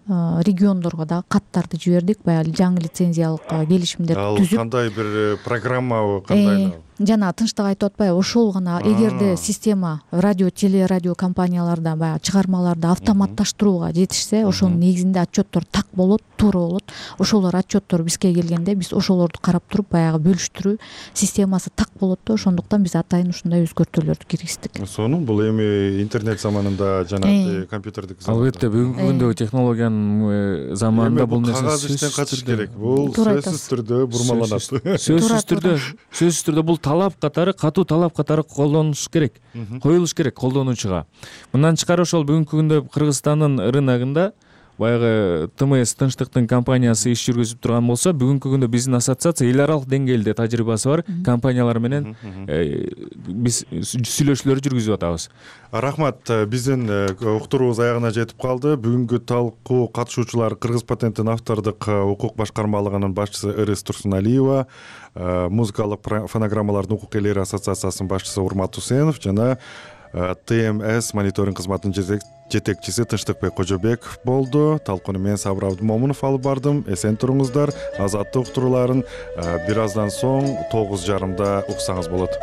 региондорго да каттарды жибердик. Баягы жаңы лицензиялык келишимдерди түзүп. Ал кандай бир программабы, кандай? Жана тынчтык айтып атпайбы, ошол гана эгерде система телерадио компанияларда баягы чыгармаларды автоматташтырууга жетишсе, ошонун негизинде отчеттор так болот, туура болот. Ошолор отчеттор бизге келгенде биз ошолорду карап туруп баягы бөлүштүрүү системасы так болот да, ошондуктан биз атайын ушундай өзгөртүүлөрдү киргиздик. Сонун бул эми интернет заманында жана компьютердик заманда. Албетте бүгүнкү күндөгү технологиянын заманында бул нерсе кагаз иштен качыш керек. Бул сөзсүз түрдө бурмаланат. Сөзсүз түрдө бул талап катары, катуу талап катары колдонулуш керек, коюлуш керек колдонуучуга. Мындан тышкары ошол бүгүнкү күндө Кыргызстандын рыногунда баягы ТМС Тынчтыктын компаниясы иш жүргүзүп турган болсо, бүгүнкү күндө биздин ассоциация эл аралык деңгээлде тажрыйбасы бар компаниялар менен биз сүйлөшүүлөр жүргүзүп атабыз. Рахмат, биздин уктуруубуз аягына жетип калды. Бүгүнкү талкуу катышуучулар Кыргыз патенттин автордук укук башкармалыгынын башчысы Ырыс Турсуналиева, музыкалык фонограммалардын укук ээлери ассоциациясынын башчысы Урмат Усенов жана ТМС мониторинг кызматынын жетекчиси Тынчтыкбек Кожобеков болду. Талкууну мен Сабыр Абдымомунов алып бардым. Эсен туруңуздар. Азаттык уктурууларын бир аздан соң 9:30 уксаңыз болот.